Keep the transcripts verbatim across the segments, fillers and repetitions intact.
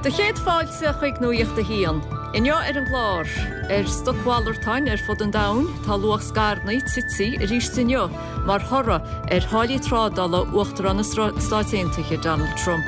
Do chéad fáilte chuig Nuacht a hAon. Inniu ar an gclár ar stocmhalartáin ar fud an domhain tá luach scaireanna tite arís inniu mar thoradh ar tháillí trádála Uachtarán na Stát Aontaithe Donald Trump.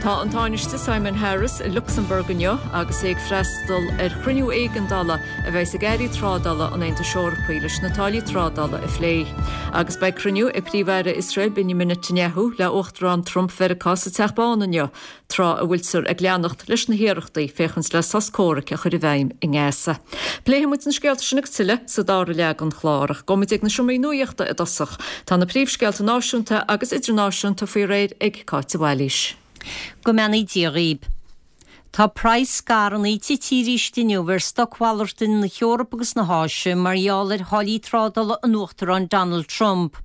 Tá an Tánaiste Simon Harris i Lucsamburg inniu agus é ag freastal ar chruinniú éigeandála a bheas ag airí trádála an Aontais Eorpaigh leis na táillí trádála a phlé. Agus beidh cruinniú ag Príomh-Aire Iosrael Benjamin Netanyahu le Uachtarán Trump Mheiriceá sa Teach Bán inniu tráth a bhfuiltear ag leanacht leis na hiarrachtaí féachaint le sos comhraic a chur i bhfeidhm i nGaza. Pléifimid na scéalta sin agus tuilleadh sa dara leath den chlár ach gabhfaimid ag na seomraí nuachta i dtosach. Tá na príomhscéalta náisiúnta agus idirnáisiúnta faoi réir ag Cáit Bhailís. Go mbeannaí Dia dhaoibh. Tá praghas scaireanna tite arís inniu ar stocmhalartáin na hEorpa agus na hÁise mar gheall ar tháillí trádála an Uachtaráin Donald Trump.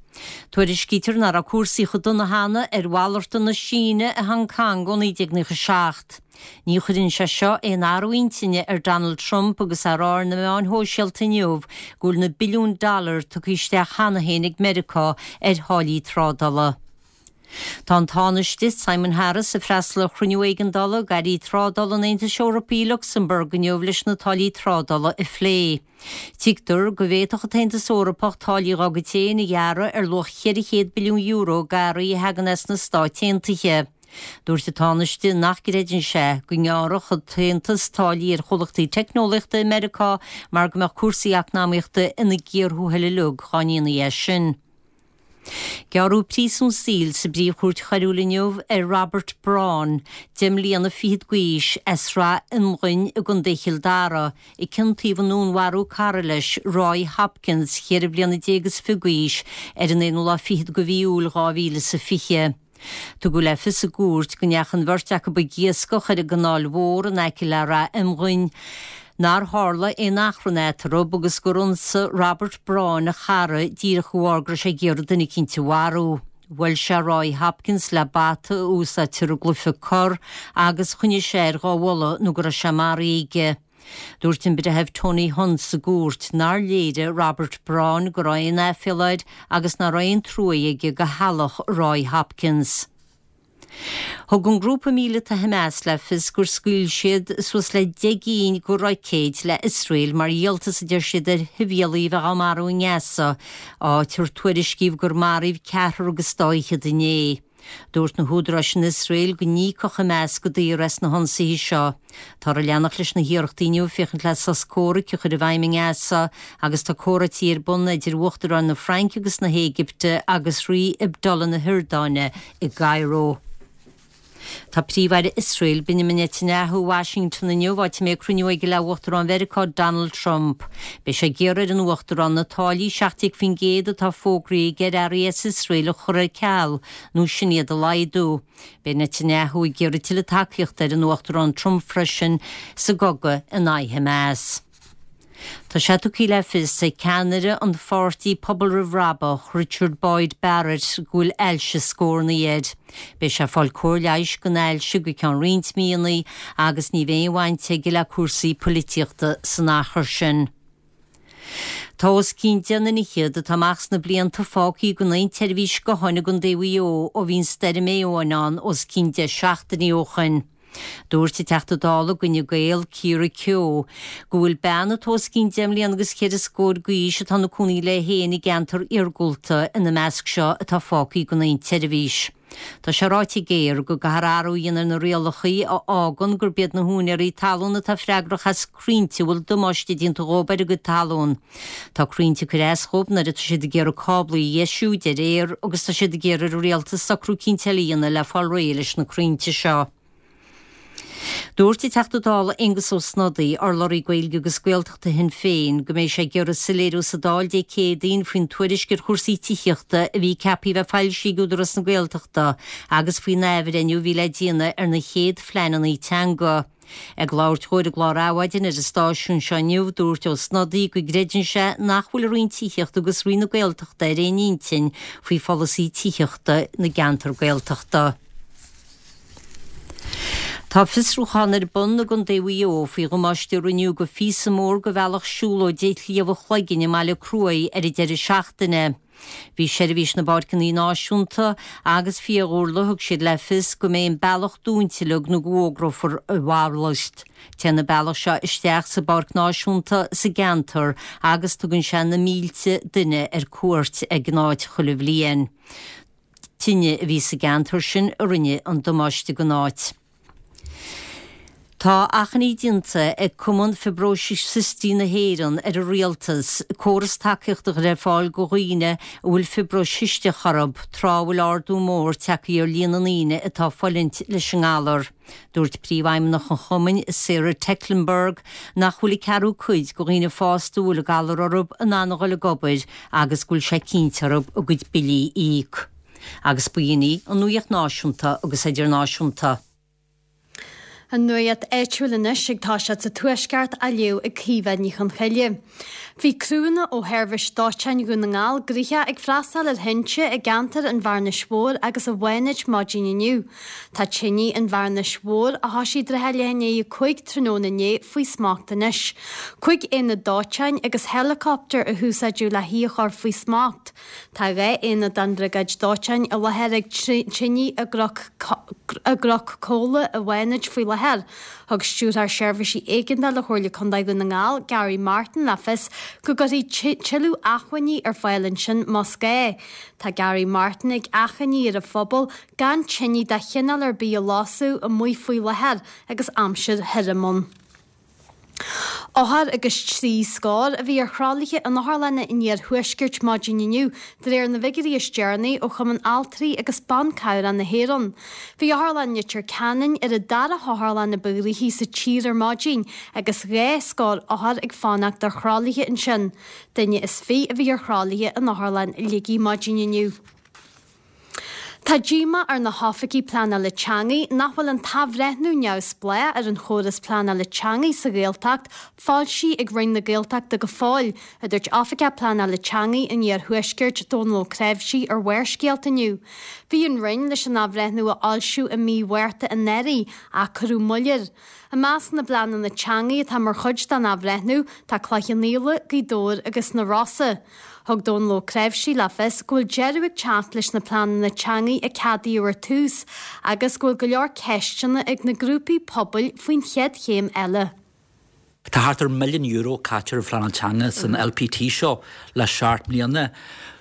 Tuairiscítear nach raibh cúrsaí chomh dona cheana ar mhalartán na Síne i Hong Kong ó naoi déag nócha seacht. Ní chuireann sé seo aon athrú intinne ar Donald Trump agus é ag rá ar na meáin shóisialta inniu go bhfuil na billiúin dollar tugtha isteach cheana féin ag Meiriceá ar tháillí trádála. Tá an Tánaiste Simon Harris ag freastal ar chruinniú éigeandála ag airí trádála an Aontais Eorpaigh i Lucsamburg inniu leis na táillí trádála a phlé. Tuigtear go bhféadfadh an tAontas Eorpach táillí dá gcuid féin a ghearradh ar luach ceithre chéad billiún euro d'earraí a thagann as na Stáit Aontaithe. Dúirt an Tánaiste nach gcreideann sé go ngearrfadh an tAontas táillí ar chomhlachtaí teicneolaíochta i Meiriceá mar go mbeadh cúrsaí eacnamaíochta ina gcíor thuathail uilig dá ndéanfaí é sin. Gearradh príosún saoil sa bPríomh-Chúirt Choiriúil inniu ar Robert Braun, deich mbliana fichead d'aois as Srath Iomghain i gContae Chill Dara, a ciontaíodh i ndúnmharú cara leis Roy Hopkins, ceithre bliana déag is fiche d'aois, ar an aonú lá fichead de mhí Iúil dhá mhíle is a fiche. Tugadh le fios i gcúirt go ndeachaigh an bheirt acu ag iascach ar an gcanáil mhór in aice le Rath Iomghain, nár tharla aon achrann eatarthu agus gur ionsaigh Robert Braun a chara díreach de bharr go raibh sé ag iarraidh duine eicínt a mharú. Bhuail sé Roy Hopkins le bata a úsáidtear i gcluiche corr agus choinnigh sé air dhá bhualadh nó go raibh sé maraithe aige. Dúirt an breitheamh Tony Hunt sa gcúirt nár léirigh Robert Braun go raibh aon aiféala air agus nach raibh aon trua aige do theaghlach Roy Hopkins. Thug an grúpa míleata Hamas le fios gur scaoil siad suas le deich gcinn de roicéid le Iosrael mar dhíoltas a deir siad ar shibhialaigh a bheith á marú i nGaza, áit ar tuairiscíodh gur maraíodh ceathrar agus dá fhichead inné. Dúirt na húdaráis in Iosrael go n-íocfadh Hamas go daor as na hionsaithe seo. Táthar ag leanacht leis na hiarrachtaí inniu féachaint le sos comhraic a chur i bhfeidhm i nGaza agus tá comhráití ar bun idir Uachtaráin na Fraince agus na hÉigipte agus Rí Abdullah na hIordáine i gCairo. Tá Príomh-Aire Iosrael Benjamin Netanyahu Washington inniu áit a mbeidh cruinniú aige le Uachtarán Mheiriceá Donald Trump. Beidh sé ag iarraidh ar an Uachtarán na táillí seacht déag faoin gcéad atá fógraithe aige ar earraí as Iosrael a chur ar ceal nó sin iad a laghdú. Beidh Netanyahu ag iarraidh tuilleadh tacaíochta ar an Uachtarán Trump freisin sa gcogadh in aghaidh Hamas. Tá sé tugtha le fios ag ceannaire an pháirtí Pobal Roimh Bhrabach Richard Boyd Barrett go bhfuil ailse scornaí air. Beidh sé ag fáil cóir leighis don ailse go ceann roinnt míonna agus ní bheidh aon bhaint aige le cúrsaí polaitíochta san achar sin. Tá os cionn deich nduine fhichead atá amach sna blianta fágtha gan aon tseirbhís gutháin i gContae Mhaigh Eo ó bhí an stoirm Éowyn ann os cionn deich seachtainí ó shin. Dúirt an Teachta Dála d'Fhine Gael Ciara Keogh go bhfuil bean atá os cionn deich mbliana agus ceithre scór d'aois atá ina cónaí léi féin i gceantar iargúlta ina measc seo atá fágtha gan aon tseirbhís. Tá sé ráite ag Aer go gcaithfear athrú a dhéanamh ar na rialacha a fhágann gurb iad na húinéirí talún atá freagrach as crainnte a bhfuil damáiste déanta dhóibh ar a gcuid talún. Tá crainnte ag cur as dhóibh nuair atá siad ag iarraidh cáblaí a dheisiú, deir Aer, agus tá siad ag iarraidh ar an rialtas socrú eicínt eile a dhéanamh le fáil réidh leis na crainnte seo. Dúirt an Teachta Dála Aengus Ó Snodaigh, urlabhraí Gaeilge agus Gaeltachta Shinn Féin, go mbeidh sé ag iarraidh soiléiriú sa Dáil Dé Céadaoin faoin tuairisc ar chúrsaí tithíochta a bhí ceaptha a bheith foilsithe ag Údarás na Gaeltachta agus faoin athbhreithniú a bhí le déanamh ar na chéad phleananna teanga. Ag labhairt dó ar an gclár Adhmhaidin ar an stáisiún seo inniu, dúirt Ó Snodaigh go gcreideann sé nach bhfuil an Roinn Tithíochta agus Roinn na Gaeltachta ar aon intinn faoi pholasaí tithíochta na gceantar Gaeltachta. Tá fiosrúchán ar bun i gContae Mhaigh Eo faoi dhamáiste a rinneadh do phíosa mór de bhealach siúlóide Shliabh an Chloiginn i mBaile Cruaidh ar an deireadh seachtaine. Bhí Seirbhís na bPáirceanna Náisiúnta agus Fiadhúlra thug siad le fios go mbeidh an bealach dúnta uilig nó go bhfógrófar a mhalairt. Téann an bealach seo isteach sa bPáirc Náisiúnta sa gceantar agus tugann sé na mílte duine ar cuairt ag an áit chuile bhliain. Tine a bhí sa gceantar sin a rinne an damáiste don áit. Tá achainí déanta ag Cumann Fiobróise Cistí na hÉireann ar an rialtas córas tacaíochta a chur ar fáil do dhaoine a bhfuil fiobróis chisteach orthu tráth a bhfuil ardú mór tagtha ar líon na ndaoine atá ag fulaingt leis an ngalar. Dúirt príomhfheidhmeannach an chumainn Sarah Tecklenburg nach bhfuil an ceathrú cuid de dhaoine fásta a bhfuil an galar orthu in ann a dhul ag obair agus go bhfuil sé cinnte orthu a gcuid billí a íoc. Agus b'in í an nuacht náisiúnta agus idirnáisiúnta. An nuacht áitiúil anois ag toiseacht sa Tuaisceart á léamh ag Caoimhe Ní Chonchoille. Bhí criúnna ó Sheirbhís Dóiteáin Dhún na nGall gnoitheach ag freastal ar thinte i gceantar an Bhearnais Mhóir agus an Fhánaid maidin inniu. Tá tine an Bhearnais Mhóir a thosaigh tráth leath i ndiaidh a cúig tráthnóna inné faoi smacht anois. Cúig aonad dóiteáin agus héileacaptar a húsáideadh le hí a chur faoi smacht. Tá dhá aonad den bhriogáid dóiteáin i láthair ag tine i gCnoc Comhla i bhFánaid faoi láthair. Thug Stiúrthóir Seirbhísí Éigeandála Chomhairle Contae Dhún na nGall, Gary Martin le fios go gcuirfí tuilleadh acmhainní ar fáil ansin más gá. Tá Gary Martin ag achainí ar an phobal gan tine de chineál ar bith a lasadh amuigh faoi láthair agus aimsir thirim ann. Othar agus trí scór a bhí ar thralaithe in otharlanna an iarthuaiscirt maidin inniu de réir na bhfigiúirí is deireanaí ó Chumann Altraí agus Ban Cabhrach na hÉireann. Bhí Otharlann Leitir Ceanainn ar an dara hotharlann a ba ghnoithí sa tír ar maidin agus dhá scór othar ag fanacht ar thralaithe ansin. Duine is fiche a bhí ar thralaithe in Otharlann Shligigh maidin inniu. Tá díomá ar na hoifigigh pleanála teanga nach bhfuil an t-athbhreithniú neamhspleách ar an chóras pleanála teanga sa Ghaeltacht foilsithe ag Roinn na Gaeltachta go fóill, a dúirt Oifigeach Pleanála Teanga an Iarthuaiscirt Dónal Ó Creimhsí ar Bharrscéalta inniu. Bhí an Roinn leis an athbhreithniú a fhoilsiú i mí Mhárta anuraidh ach cuireadh moill air. I measc na bpleananna teanga atá mar chuid den athbhreithniú tá Cloich Cheann Fhaola, Gaoth Dobhair agus na Rosa. Thug Dónal Ó Creimhsí le fios go bhfuil deireadh ag teacht leis na pleananna teanga a ceadaíodh ar tús agus go bhfuil go leor ceisteanna ag na grúpaí pobail faoin chéad chéim eile. Tá thart ar milliún euro caite ar phleanáil teanga san LPT seo le seacht mbliana.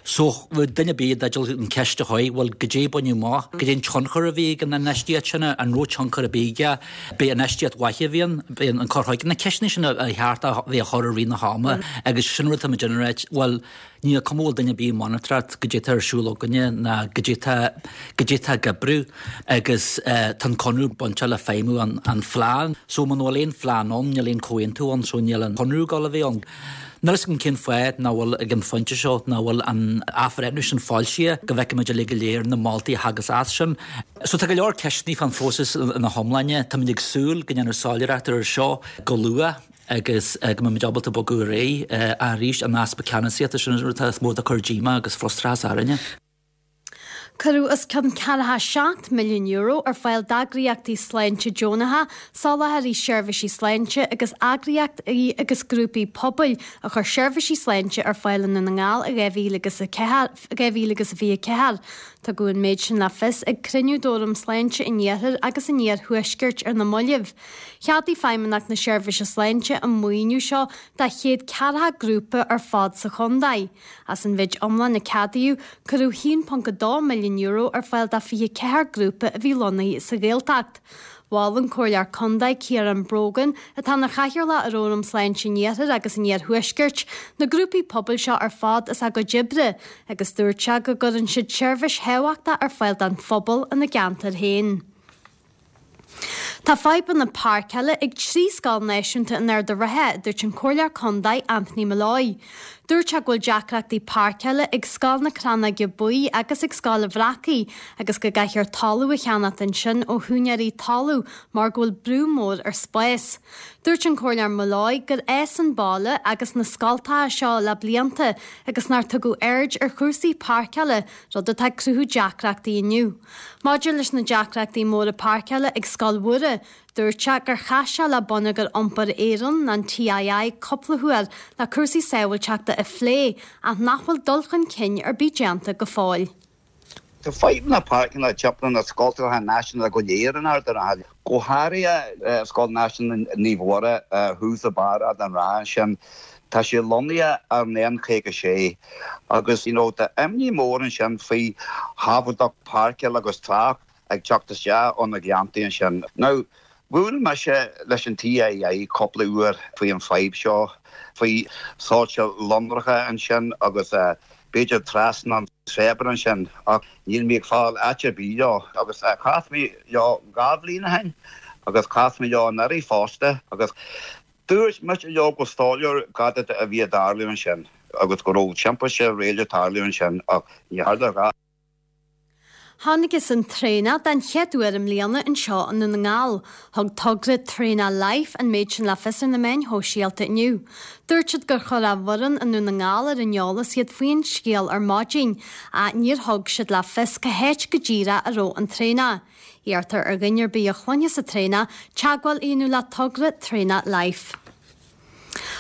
So duine ar bith i dteideal an cheist a chur, bhuel goidé a baineadh amach, goidé an tionchar a bhí ag an infheistíocht sin, an raibh tionchar ar bith aige, b'é infheistíocht mhaith a bhí ann, b'é an cur chuige, na ceisteanna sin a cheart a bheith á chur i rith na hama agus sin rud atá muid ag ráit, bhuel níl cuma bhfuil duine ar bith ag monatóireacht goidé atá ar siúl againne ná goidé atá goidé atá ag oibriú agus tá an conradh bainteach le feidhmiú an, an phlean. So muna bhfuil aon phlean ann, níl aon comhaontú ann, so níl an conradh ag dul a bheith ann. Níl a fhios agam cén fáth nach bhfuil ag an phointe seo nach bhfuil an athbhreithniú sin foilsithe go bhfeicfimid uilig go léir na moltaí a thagas as sin. So tá go leor ceisteanna fán phróiseas ina hiomláine, Táimid ag súil go ndéanfar soiléireacht ar seo go luath agus go mbeimid ábalta bogadh ar aghaidh arís an easpa ceannasaíochta sin rud is mó ag cur díomá agus frustrachas orainne. Cuireadh os cionn ceathracha seacht milliún euro ar fáil d'eagraíochtaí sláinte deonacha, soláthraí seirbhísí sláinte agus eagraíochtaí agus grúpaí pobail a chuir seirbhísí sláinte ar fáil i nDún na nGall i dhá mhíle agus a dhá mhíle agus a fiche ceathair. Tugadh an méid sin le fios ag cruinniú d'Fhóram Sláinte an Iarthair agus an Iarthuaiscirt ar na mallaibh. Cheadaigh Feidhmeannacht na Seirbhíse Sláinte an maoiniú seo do chéad ceathracha grúpa ar fad sa chontae. As an mhéid iomlán a ceadaíodh, cuireadh haon ponc a dó milliún euro ar fáil do fiche ceathair grúpa a bhí lonnaithe sa Ghaeltacht. Mhol an Comhairleoir Contae Ciarán Brogan, atá ina chathaoirleach ar Fhóram Sláinte an Iarthair agus an Iarthuaiscirt, na grúpaí pobail seo ar fad as a gcuid oibre, agus dúirt sé go gcuireann siad seirbhís thábhachtach ar fáil don phobal ina gceantar féin. Tá fadhbanna páirceála ag trí scoil náisiúnta in Ard an Rátha, dúirt an Comhairleoir Contae Anthony Molloy. Dúirt sé go bhfuil deacrachtaí páirceála ag Scoil na Crannóige Buí agus ag Scoil an Bhreacaigh agus go gcaithfear talamh a cheannacht ansin ó húinéirí talaimh mar go bhfuil brú mór ar spás. Dúirt an Comhairleoir Molloy gur fhás an baile agus na scoltacha seo le blianta agus nár tugadh aird ar chúrsaí páirceála, rud atá ag cruthú deacrachtaí inniu. Maidir leis na deacrachtaí móra páirceála ag Scoil Mhuire, Dúirt sé gur chas sé le Bonneagar Iompair Éireann, an TII, cúpla huair le cúrsaí sábháilteachta a phlé ach nach bhfuil dul chun cinn ar bith déanta go fóill. Tá fadhbanna páirceanna timpeall na scoltacha náisiúnta go léir in Ard an Rátha. Go háirithe Scoil Náisiúnta Naomh Mhuire thuas i barr Ard an Rátha ansin. Tá sé lonnaithe ar an N caoga sé agus you know tá imní mór ansin faoi shábháilteacht páirceáil agus trácht ag teacht isteach ó na gleanntaí ansin. Now bhuail mise leis an TII cúpla uair faoi an fadhb seo, faoi soilse lonracha ansin agus b'fhéidir trasna an tséabra ansin ach níl mé ag fáil áit ar bith leo agus chas mé leo dhá bhliain ó shin agus chas mé leo anuraidh fosta agus dúirt mise leo go soiléir cad a bhí ag tarlú ansin agus go raibh timpiste réal ag tarlú ansin ach ní tharla a dhath. Thángthas ar traonach den chéad uair i mbliana anseo i nDún na nGall. Thug togra Traonach Life an méid sin le fios ar na meáin shóisialta inniu. Dúirt siad gur chuir a bhfoireann i nDún na nGall ar an eolas iad faoin scéal ar maidin, ach níor thug siad le fios cá háit go díreach a raibh an traonach. Iarrtar ar dhuine ar bith a chluinfeas an traonach teagmháil a dhéanamh le togra Traonach Life.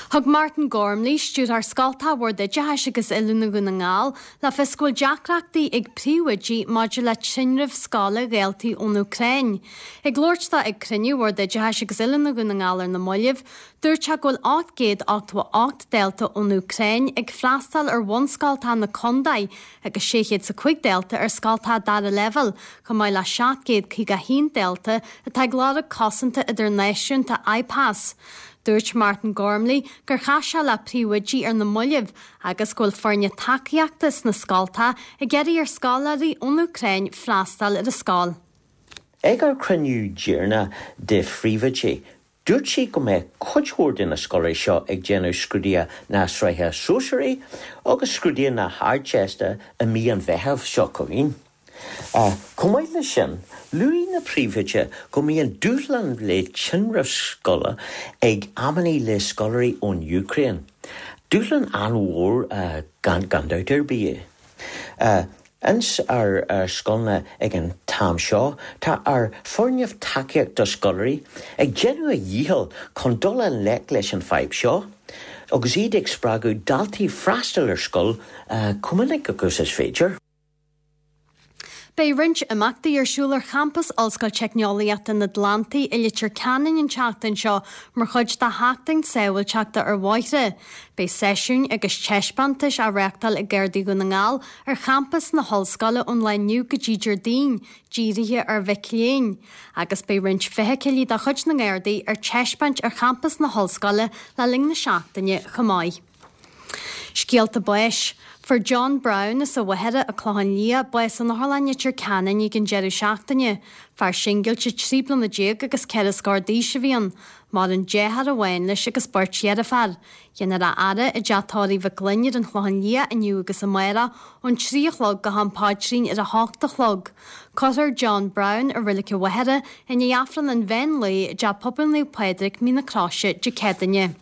Thug Martin Gormley, stiúrthóir Scoltacha Bhord Oideachais agus Oiliúna Dhún na nGall, le fios go bhfuil deacrachtaí ag príomhoidí maidir le tinreamh scoile dhaltaí ón Úcráin. Ag labhairt dó ag cruinniú Bhord Oideachais agus Oiliúna Dhún na nGall ar na mallaibh, dúirt sé go bhfuil ocht gcéad ochtó a hocht dalta ón Úcráin ag freastal ar bhunscoltacha na contae agus sé chéad is a cúig dalta ar scoltacha dara leibhéal, chomh maith le seacht gcéad caoga a haon dalta atá ag lorg cosanta idirnáisiúnta IPAS. Dúirt Martin Gormley gur chas sé le príomhoidí ar na mallaibh agus go bhfuil foirne tacaíochta sna scoltacha ag iarraidh ar scoláirí ón Úcráin freastal ar a scoil. Ag ár cruinniú deireanach de phríomhoidí, dúirt sí go mbeidh cuid mhór de na scoláirí seo ag déanamh scrúduithe na sraithe sóisearaí agus scrúduithe na hArdteiste i mí an Mheithimh seo chugainn. Chomh maith leis sin, luaigh na príomhoidí go mbíonn dúshlán le tinreamh scoile ag amannaí le scoláirí ón Úcráin. Dúshlán an-mhór gan gan dabht ar bith é. Ins ár scoileanna ag an t-am seo, tá ár foirne tacaíocht do scoláirí ag déanamh a dhícheall chun dul i ngleic leis an fadhb seo, agus iad ag spreagadh daltaí freastal ar scoil chomh minic agus is féidir. Beidh roinnt imeachtaí ar siúl ar champas Ollscoil Teicneolaíochta an Atlantaigh i Leitir Ceanainn an tseachtain seo mar chuid de sheachtain sábháilteachta ar bhóithre. Beidh seisiúin agus taispeántais á reáchtáil ag Gardaí Dhún na nGall ar champas na hollscoile ón lá inniu go dtí Déardaoin, dírithe ar mhic léinn. Agus beidh roinnt feithiclí de chuid na nGardaí ar taispeáint ar champas na hollscoile le linn na seachtaine chomh maith. Scéalta báis. Fuair John Brown as an Mhachaire an Clochán Liath bás in Otharlann Leitir Ceanainn ag an deireadh seachtaine. Fear singilte trí bliana déag agus ceithre scór d'aois a bhí ann. Maireann deartháir amháin leis agus beirt dheirféar. Déanfar a fhaire i dteach tórraimh Mhic Gloinn ar an Chlochán Liath inniu agus amárach ón trí a chlog go ham paidrín ar a hocht a chlog. Cuirfear John Brown i Reilig an Mhachaire i ndiaidh Aifreann an mheán lae i dTeach Pobail Naomh Pádraig, Mín na Croise, Dé Céadaoine.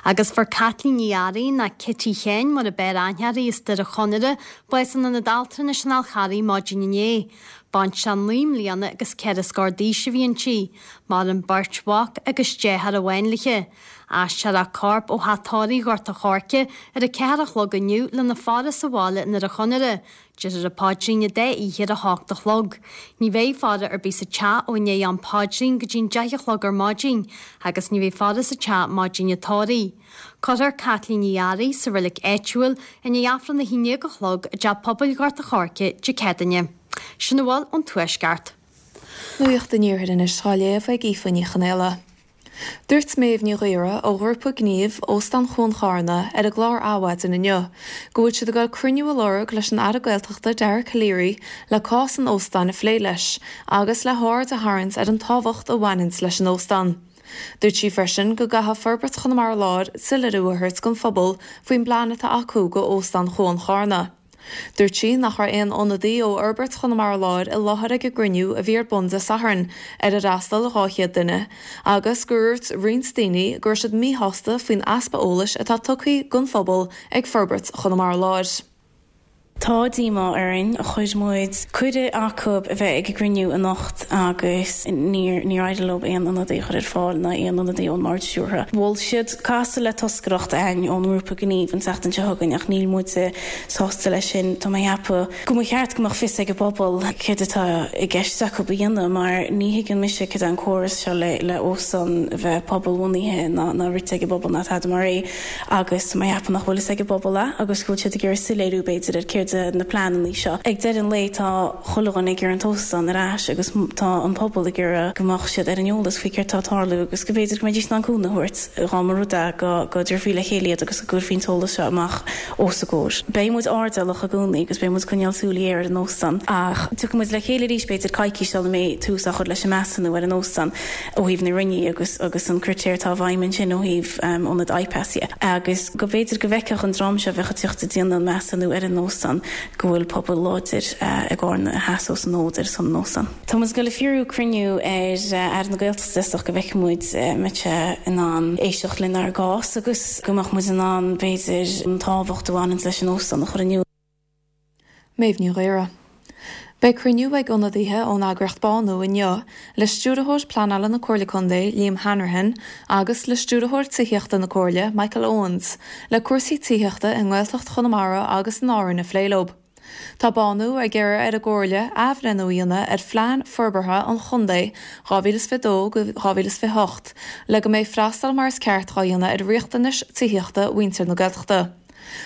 Agus fuair Caitlín Ní Fhearraigh nó Kitty Sheáin mar ab fhearr aithne uirthi as Doire Chonaire, bás in Ionad Altranais an Fhál Charraigh maidin inné. Baintreach naoi mbliana agus ceithre scór d'aois a bhí inti. Maireann beirt mhac agus deartháir amháin léi. Aistreofar a corp ó Theach Tórraimh Ghort a' Choirce ar a ceathair a chlog inniu lena faire sa bhaile i nDoire Chonaire. Déarfar an paidrín an dá oíche ar a hocht a chlog. Ní bheidh faire ar bith sa teach ó i ndiaidh am paidrín go dtí an deich a chlog ar maidin agus ní bheidh faire sa teach maidin an tórraimh. Cuirfear Caitlín Ní Fhearraigh sa reilig áitiúil i ndiaidh Aifreann a haon déag a chlog i dTeach Pobail Ghort a' Choirce Dé Céadaoine. Sin a bhfuil ón Tuaisceart. Nuacht an Iarthair anois á léamh ag Aoife Ní Chonaola. Dúirt Méabh Ní Ghaora ó ghrúpa gnímh Óstán Chuan Charna ar an gclár Adhmhaidin inniu, go bhfuil siad ag dul cruinniú a lorg leis an Aire Gaeltachta Dara Calleary le cás an óstáin a phlé leis, agus le haird a tharraingt ar an tábhacht a bhaineann leis an óstán. Dúirt sí freisin go gcaithfidh Forbairt Chonamara Láir soiléiriú a thabhairt don phobal faoin bplean atá acu go Óstán Chuan Charna. Dúirt sí nach raibh aon ionadaí ó Fhorbairt Chonamara Láir i láthair ag an gcruinniú a bhí ar bun Dé Sathairn ar ar fhreastail dhá chéad duine, agus gur dhúirt roinnt daoine go raibh siad míshásta faoin easpa eolais atá tugtha don phobal ag Forbairt Chonamara Láir. Tá díomá orainn chuir muid cuireadh acu a bheith ag an gcruinniú anocht agus níor níor éirigh leo aon ionadaí a chur ar fáil ná aon ionadaí ón mBord Stiúrtha. Mhol siad casadh le toscaireacht againn ón ngrúpa gnímh an tseachtain seo chugainn ach níl muid sásta leis sin Tá mé ag ceapadh go mba cheart go mbeadh fios ag an bpobal céard atá i gceist acu a dhéanamh mar ní thuigeann mise cad é an córas seo le le óstán a bheith pobalbhunaithe ná ná rite ag an bpobal ná tada mar é agus tá mé ag ceapadh nach bhfuil fhios ag an bpobal é agus go bhfuil siad ag iarraidh soiléiriú b'fhéidir ar céard na pleananna seo. Ag deireadh an lae tá chuile dhuine ag iarraidh an t-óstán ar ais agus tá an pobal ag iarraidh go mbeadh siad ar an eolas faoi céard tá ag tarlú agus go mb'fhéidir go mbeidís in ann cúnamh a thabhairt dá mba rud é go go dtabharfaí le chéile iad agus go gcuirfí an t-eolas seo amach os a gcomhair. Beidh muid airdeallach i gcónaí agus beidh muid ag coinneáil súil ghéar ar an óstán ach tiocfaidh muid le chéile arís b'fhéidir coicís sula mbeidh tús á chur leis an measúnú ar an óstán ó thaobh na Roinne agus agus an critéar atá i bhfeidhm ansin ó thaobh ionad IPAS dhe agus go mb'fhéidir go bhfeicfeadh an dream seo a bheadh ag teacht ag déanamh an measúnú ar an óstán go bhfuil pobal láidir i gCarna a sheasós an fód ar son an óstáin. Tá muid ag dul ag fiarú cruinniú ar Aire na Gaeltachta is dócha go bhfeicfidh muid an mbeidh sé in ann éisteacht lenár gcás agus go mbeadh muid in ann b'fhéidir an tábhacht a bhaineann leis an óstán a chur in iúl. Méabh Ní Ghaora. Beidh cruinniú ag ionadaithe ón eagraíocht Bánú inniu le Stiúrthóir Pleanála na Comhairle Contae, Liam Hanrahan, agus le Stiúrthóir Tithíochta na Comhairle, Michael Owens, le cúrsaí tithíochta i nGaeltacht Chonamara agus in Árainn a phlé leo. Tá Bánú ag iarraidh ar an gComhairle athbhreithniú a dhéanamh ar Phlean Forbartha an Chontae dhá mhíle is fiche dó go dhá mhíle is fiche hocht le go mbeidh freastal mar is ceart dhá dhéanamh ar riachtanais tithíochta mhuintir na Gaeltachta.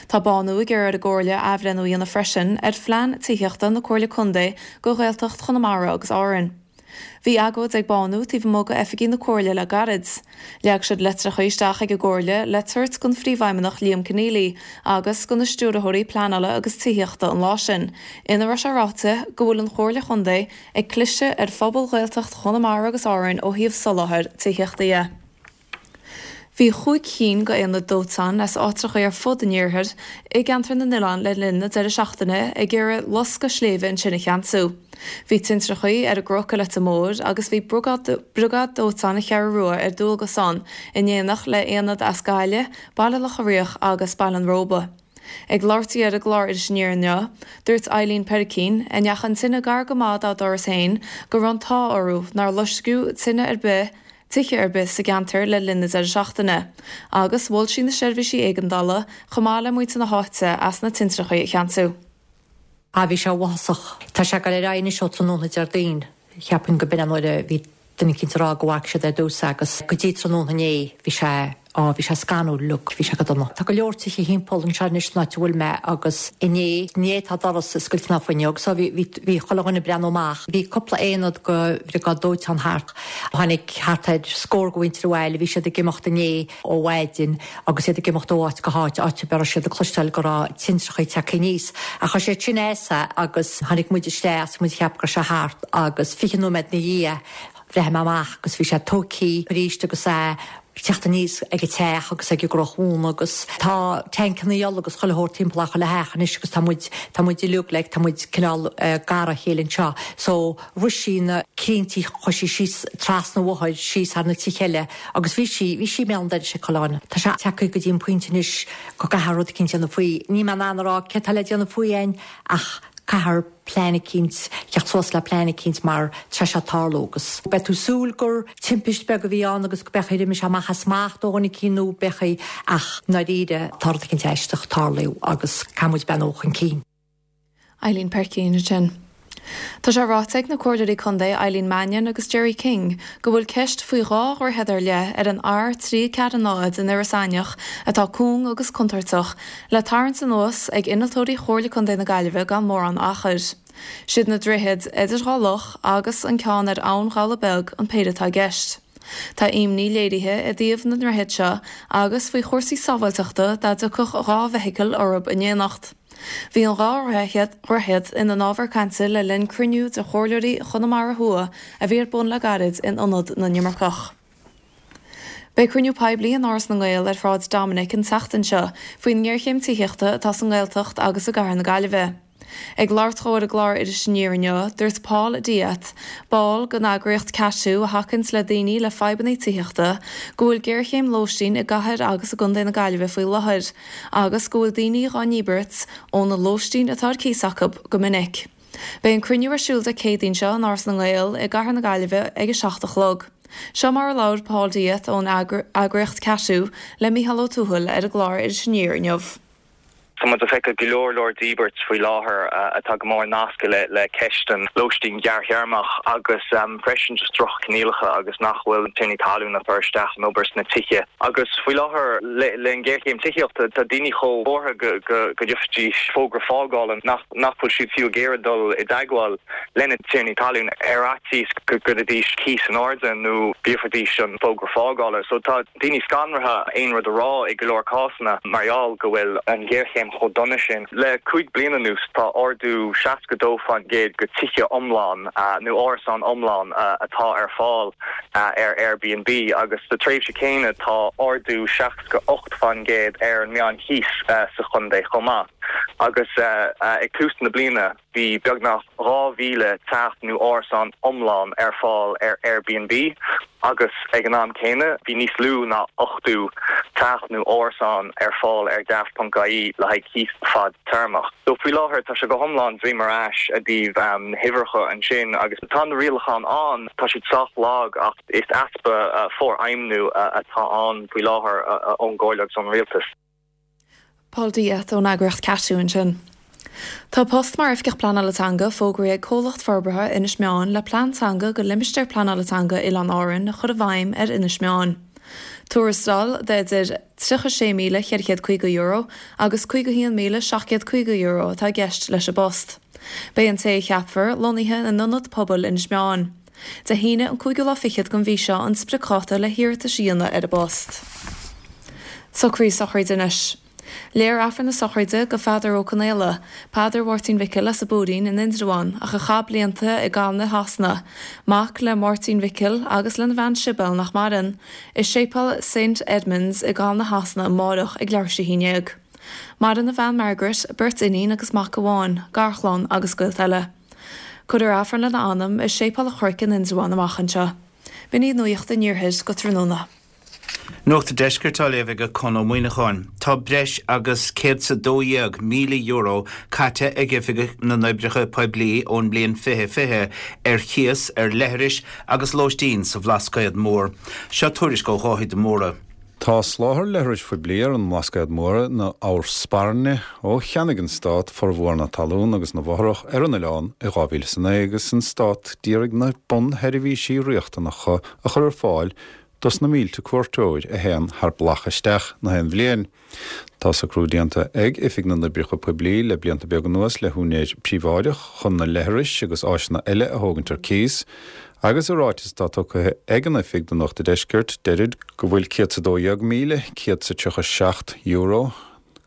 Tá Bánú ag iarraidh ar an gComhairle athbhreithniú a dhéanamh freisin ar Phlean Tithíochta na Comhairle Contae do Ghaeltacht Chonamara agus Árainn. Bhí agóid ag Bánú taobh amuigh d'oifigí na Comhairle le gairid. Leag siad litreacha isteach ag an gComhairle le tabhairt don Phríomhfheidhmeannach Liam Conneally agus do na Stiúrthóirí Pleanála agus Tithíochta an lá sin, ina raibh sé ráite go bhfuil an Chomhairle Chontae ag cliseadh ar phobal Ghaeltacht Chonamara agus Árainn ó thaobh soláthair tithíochta dhe. Bhí chúig cinn d'aonaid dóiteáin as áitreacha ar fud an iarthair i gCeantar na nOileán le linn na deireadh seachtaine ag iarraidh loscadh sléibhe ansin a cheansú. Bhí tintreachaí ar an gCnoc i Leitir Móir agus bhí Briogáid Dóiteáin na Ceathrú Rua ar dualgas ann in éineacht le haonaid as Gaillimh, Baile Locha Riach agus Baile an Róba. Ag labhairt di ar an gclár Iris Aniar inniu, dúirt Eileen Peircín, a ndeachaigh an tine gar go maith dá doras féin, go raibh an t-ádh orthu nár loisceadh tine ar bith, tithe ar bith sa gceantar le linn na deireadh seachtaine, agus mhol sí na seirbhísí éigeandála chomh maith le muintir na háite as na tintreachaí a cheansú. Ah bhí sé uafásach. Tá sé ag dul ar aghaidh anois ó tráthnóna Déardaoin. Cheapfainn go b'in an uair a bhí duine eicínt ag rá go bhfaca siad ar dtús agus go dtí tráthnóna inné bhí sé Á, bhí sé scanrúil uilig, bhí sé go dona. Tá go leor tithe thimpeall anseo anois san áit a bhfuil mé agus inné, inné tá doras oscailte ná fuinneog so bhí, bhí, bhí chuile dhuine ag breathnú amach. Bhí cúpla aonad go bhriogáid dóiteáin thart. Tháinig thart ar scór go mhuintir abhaile, bhí siad ag imeacht inné ó mhaidin agus iad ag imeacht ó áit go háit, áit a raibh siad ag cloisteáil go raibh tintreachaí tagtha aníos. Ach chuir siad sin as é agus tháinig muid isteach is muid ag ceapadh go raibh sé thart agus fiche nóiméad ina dhiaidh bhreathnaigh mé amach agus bhí sé tógthaí arís agus é teacht aníos ag an teach agus ag an gCnoc Mhóna agus tá tancanna ola agus chuile shórt timpeall ar chuile theach anois agus tá muid, tá muid uilig like, tá muid cineál gar dá chéile anseo. So rith sí na crainnte, chuaigh sí síos trasna an bhóthair, síos thar na tithe eile agus bhí sí, bhí sí i mbéal an dorais ag chuile dhuine. Tá sé tagtha go dtí an pointe anois go gcaithfear rud eicínt a dhéanamh faoi. Níl mé in ann a rá céard tá le déanamh faoi fhéin ach caithfear plean eicínt, theacht suas le plean eicínt mar tá sé ag tarlú agus beidh tú súil gur timpist beag a bhí ann agus go beidh imigh sé amach as smacht ó dhuine eicínt nó beidh ach ndáiríre tá rud eicínt aisteach ag tarlú agus caithfidh muid breathnú chun cinn. Eileen Peircín ansin. Tá sé ráite ag na Comhairleoirí Contae Eileen Mannion agus Gerry King go bhfuil ceist faoi dhá dhroichead ar leith ar an R trí ceathair náid in Iorras Aithneach atá cúng agus contúirteach le tarraingt anuas ag innealtóirí Chomhairle Contae na Gaillimhe gan mórán achair. Siad na droichid Idir Dhá Loch agus an ceann ar Abhainn Ghabhla Beag an péire atá i gceist. Tá imní léirithe i dtaobh na ndroichead seo agus faoi chúrsaí sábháilteachta dá dtiocfadh dhá bhfeithicil orthu in éineacht. Bhí an dhá dhroichead ina n-ábhar cainte le linn cruinniú de chomhairleoirí Chonamara Thuaidh a bhí ar bun le gairid in Ionad na nImirceach. Beidh cruinniú poiblí in Áras na nGael ar Shráid Dominic an tseachtain seo faoin ngéarchéim tithíochta atá sa nGaeltacht agus i gcathair na Gaillimhe. Ag labhairt dó ar an gclár Iris Aniar inniu, dúirt Paul Diet, ball den eagraíocht Catú a thacaíonns le daoine le fadhbanna tithíochta, go bhfuil géarchéim lóistín i gcathair agus i gcontae na Gaillimhe faoi láthair, agus go bhfuil daoine á ndíbirt óna lóistín atá ar cíos acu go minic. Beidh an cruinniú ar siúl Dé Céadaoin seo in Áras na nGael i gcathair na Gaillimhe ag a seacht a chlog. Seo mar a labhair Paul Diet ón eagraíocht Catú le Mícheál Ó Tuathail ar an gclár Iris Aniar inniu. Tá muid ag feiceáil go leor leor díbirt faoi láthair atá go mór nasctha le le ceist an lóistín ghearrthéarmach agus freisin just droch-choinníollacha agus nach bhfuil tiarnaí talún ag cur isteach an obair sna tithe. Agus faoi láthair le le an géarchéim tithíochta tá daoine chomh buartha go go go dtabharfaidís fógra fágála nach nach bhfuil siad fiú ag iarraidh dul i dteagmháil lena tiarnaí talún ar fhaitíos go gcuirfidís cíos in airde nó go dtabharfaidís an fógra fágála. So tá daoine scanraithe aon rud a rá i go leor cásanna mar gheall go bhfuil an ghéarchéim chomh dona sin. Le cúig bliana anuas tá ardú seasca dó faoin gcéad go tithe iomlán nó árasán iomlán atá ar fáil ar Airbnb agus sa tréimhse céanna tá ardú seasca ocht faoin gcéad ar an meán chíos sa chontae chomh maith. Agus ag tús na bliana bhí beagnach dhá mhíle teach nó árasán iomlán ar fáil ar Airbnb agus ag an am céanna bhí níos lú ná ochtó teach nó árasán ar fáil ar Daft.ie le haghaidh cíos fadtéarmach. So faoi láthair tá sé go hiomlán droim ar ais i dtaobh na huimhreacha ansin agus tá na rialacháin ann, tá siad sách lag ach is easpa forfheidhmiú atá ann faoi láthair ón gComhairle agus ón Rialtas. Paul Diet ón eagraíocht Catú ansin. Tá post mar Oifigeach Pleanála Teanga fógraithe ag Comhlacht Forbartha Inis Meáin le plean teanga go Limistéar Pleanála Teanga Oileáin Árann a chur i bhfeidhm ar Inis Meáin. Tuarastal de idir tríocha sé míle ceithre chéad caoga euro agus caoga haon míle seacht gcéad caoga euro atá i gceist leis an bpost. Beidh an té a cheapfar lonnaithe in Ionad Pobail Inis Meáin. Dé hAoine an cúigiú lá fichead den mhí seo an spriocdháta le hiarratais a dhéanamh ar an bpost. Socruithe sochraide anois. Léifear Aifreann na sochraide go Pheadar Ó Conaola, Peadar Mháirtín Mhicil as an bPúirín in Indreabhán ach a chaith blianta i gCalna i Shasana, mac le Máirtín Mhicil agus lena bhean Sibéal nach maireann, i Séipéal Saint Edmunds i gCalna Shasana amárach ag leathuair tar éis a haon déag. Maireann a bhean Margaret, beirt iníon agus mac amháin, garchlann agus gaolta eile. Cuirfear Aifreann lena anam i Séipéal an Chnoic in Indreabhán amach anseo. B'in iad Nuacht an Iarthair go tráthnóna. Nuacht an Deiscirt á léamh ag Conn Ó Muíneacháin. Tá breis agus céad 's a dó dhéag míle euro caite ag Oifig na nOibreacha Poiblí ón mbliain fiche fiche ar chíos ar leithris agus lóistín sa Bhlascaod Mór. Seo tuairisc ó Dháithí de Mórdha. Tá soláthar leithris phoiblí ar an mBlascaod Mór ina ábhar spairne ó cheannaigh an Stát formhór na talún agus na bhfothrach ar an oileán i dhá mhíle is a naoi agus an Stát d'iarraidh na bunsheirbhísí riachtanacha a chur ar fáil dos na mílte cuairteoir a théann thar bealach isteach na haon bhliain. Tá socrú déanta ag Oifig na nOibreacha Poiblí le blianta beaga anuas le húinéir príobháideach chun na leithris agus áiseanna eile a thógaint ar cíos, agus i ráiteas atá tugtha ag an oifig do Nuacht an Deiscirt deirid go bhfuil céad 's a dó dhéag míle céad 's a tríocha seacht euro,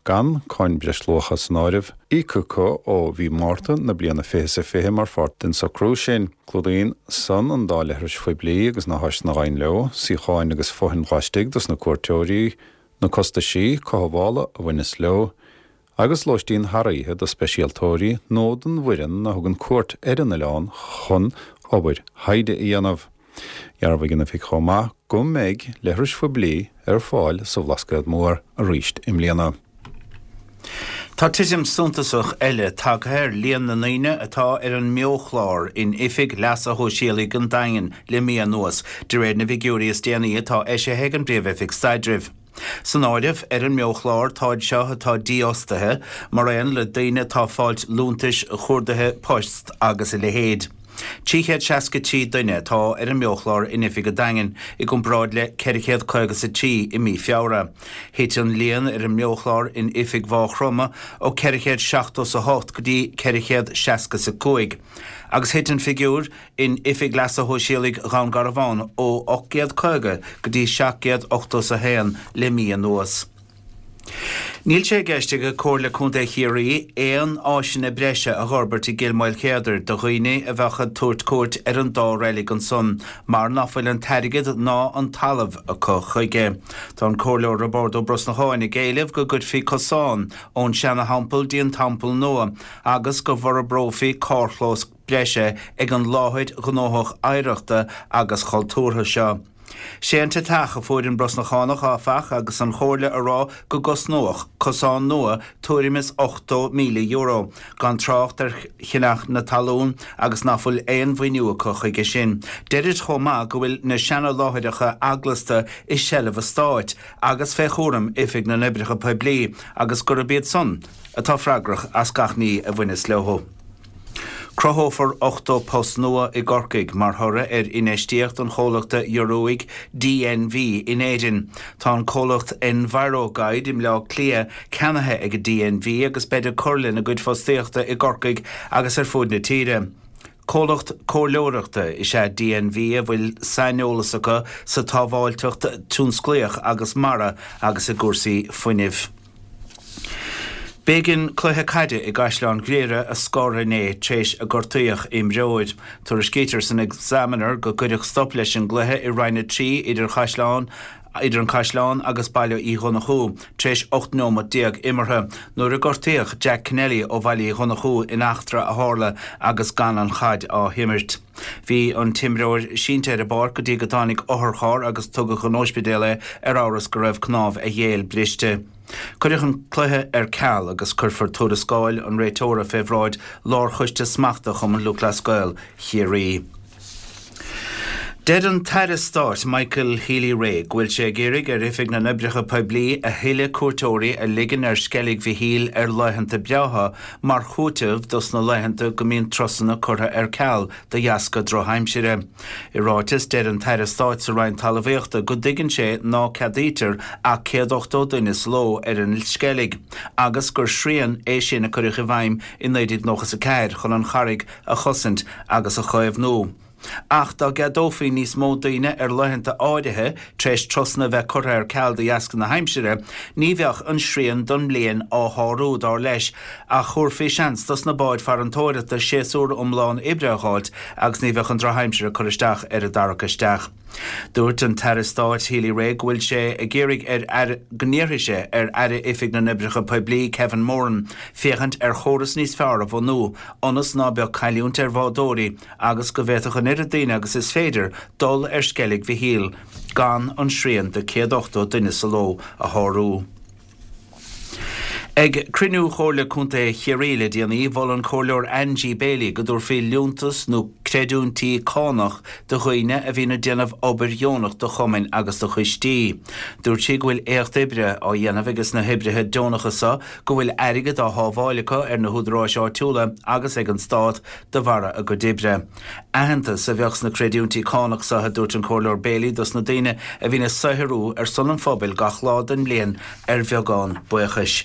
gan cáin breisluacha san áireamh, íoctha acu ó mhí Márta na bliana fiche 's a fiche mar pháirt den socrú sin. Clúdaíonn san an dá leithris phoiblí agus na háiseanna a ghabhann leo, suíocháin agus fothain laistigh dos na cuairteoirí, na costaisí cothabhála a bhaineas leo, agus lóistín thar oíche do speisialtóirí nó don bhfoireann a thugann cuairt ar an oileán chun obair thaighde a dhéanamh. Dhearbhaigh an oifig chomh maith go mbeidh leithris phoiblí ar fáil sa Bhlascaod Mór arís i mbliana. Tá titim suntasach eile tagtha ar líon na ndaoine atá ar an mBeo-chlár in Oifig Leasa Shóisialaigh an Daingin le mí anuas, de réir na bhfigiúirí is déanaí atá eisithe ag an bPríomh-Oifig Staidrimh. San áireamh ar an mBeo-chlár táid seo atá dífhostaithe, mar aon le daoine atá ag fáilt liúntais chuardaithe poist agus a leithéid. Trí chéad seasca trí duine atá ar an mBeo-chlár in Oifig an Daingin, i gcomparáid le ceithre chéad caoga 's a trí i mí Feabhra. Thit an líon ar an mBeo-chlár in Oifig Mhaigh Chromtha ó ceithre chéad seachtó 's a hocht go dtí ceithre chéad seasca 's a cúig, agus thit an figiúr in Oifig Leasa Shóisialaigh Dhún Garbhán ó ocht gcéad caoga go dtí seacht gcéad ochtó 's a haon le mí anuas. Níl sé i gceist ag Comhairle Contae Chiarraí aon áiseanna breise a fhorbairt i gCill Mhaoilchéadair do dhaoine a bheadh ag tabhairt cuairt ar an dá reilig ansan mar nach bhfuil an t-airgead ná an talamh acu chuige. Tá an Comhairleoir Roibeárd Ó Brosnacháin ag éileamh go gcuirfí cosán ón seana-theampall dtí an teampall nua agus go bhforbrófaí carrchlós breise ag an láthair ghnóthach oidhreachta agus chultúrtha seo. Sé an deatach a fuair an Brosnachánach áfach agus an chomhairle a rá go gcosnódh cosán nua tuairim is ochtó míle euro, gan trácht ar cheannach na talún agus nach bhfuil aon mhaoiniú acu chuige sin. Deirid chomh maith go bhfuil na seana-láithreacha eaglasta i seilbh an stáit agus fé chúram Oifig na nOibreacha Poiblí agus gurb iad san atá freagrach as gach ní a bhaineas leo. Cruthófar ochtó post nua i gCorcaigh mar thoradh ar infheistíocht an chomhlachta Ioruaigh DNV in Éirinn. Tá an comhlacht Enviroguide i mBleá Cliath ceannaithe ag DNV agus beid ag cur lena gcuid fostaíochta i gCorcaigh agus ar fud na tíre. Comhlacht comhairleoireachta is ea DNV a bhfuil saineolas acu sa tsábháilteacht tionsclaíoch agus mara agus i gcúrsaí fuinnimh. B'éigean cluiche caide i gCaisleán Ghriaire a scor inné tar éis a gortaíodh imreoir. Tuairiscítear san Examiner go gcuireadh stop leis an gcluiche i Roinn a trí idir Chaisleán idir an Caisleán agus Baile Uí Dhonnchú tar éis ocht nóiméad déag imeartha nuair a gortaíodh Jack Kennelly ó Bhaile Uí Dhonnchú in eachtra a tharla agus gan an chaid á himirt. Bhí an t-imreoir sínte ar an bpáirc go dtí go dtáinig otharcharr agus tugadh chun ospidéil é ar amhras go raibh cnámh a ghéill briste. Cuireadh an cluiche ar ceal agus cuirfear tuarascáil an réiteora fé bhráid Lárchoiste Smachta Chumann Lúthchleas Gael Chiarraí. Deir an tAire Stáit Michael Healy-Rae go bhfuil sé ag iarraidh ar Oifig na nOibreacha Poiblí a thuilleadh cuairteoirí a ligean ar Sceilg Mhichíl ar laethanta breátha mar chúiteamh dos na laethanta go mbíonn turasanna curtha ar ceal de dheasca drochaimsire. I ráiteas deir an tAire Stáit sa Roinn Talmhaíochta go dtuigeann sé ná ceadaítear ach céad ochtó duine sa ló ar an Sceilg agus gur srian é sin a cuireadh i bhfeidhm i naoi déag nócha a ceathair chun an charraig a chosaint agus a chaomhnú. Ach dá gceadófaí níos mó daoine ar laethanta áirithe tar éis turasanna bheith curtha ar ceal de dheasca na haimsire, ní bheadh an srian don mbliain á shárú dar leis, ach thabharfaí seans dos na báid farantóireachta séasúr iomlán oibre a fháilt agus ní bheadh an drochaimsir ag cur isteach ar a dtarrac isteach. Dúirt an tAire Stáit Healy-Rae go bhfuil sé ag iarraidh ar aire go n-iarrfaidh sé ar Aire Oifig na nOibreacha Poiblí Kevin Moran féachaint ar chóras níos fearr a bhunú ionas ná beadh cailliúint ar bhádóirí agus go bhféadfadh an oiread daoine agus is féidir dul ar Sceilg Mhichíl gan an srian de céad ochtó duine sa ló a shárú. Ag cruinniú Chomhairle Contae Chiarraí le déanaí, mhol an Comhairleoir Angie Bailey go dtabharfaí liúntas nó creidiúintí cánach do dhaoine a bhíonn ag déanamh obair dheonach do chumainn agus do choistí. Dúirt sí go bhfuil éacht oibre á dhéanamh ages na hoibrithe deonacha seo, go bhfuil airgead á shábháil acu ar na húdaráis áitiúla agus ag an stát de bharra a gcuid oibre. Aitheantas a bheadh sna creidiúintí cánach seo, a dúirt an Comhairleoir Bailey, dos na daoine a bhíonn ag saothrú ar son an phobail gach lá den mbliain ar bheagán buíochais.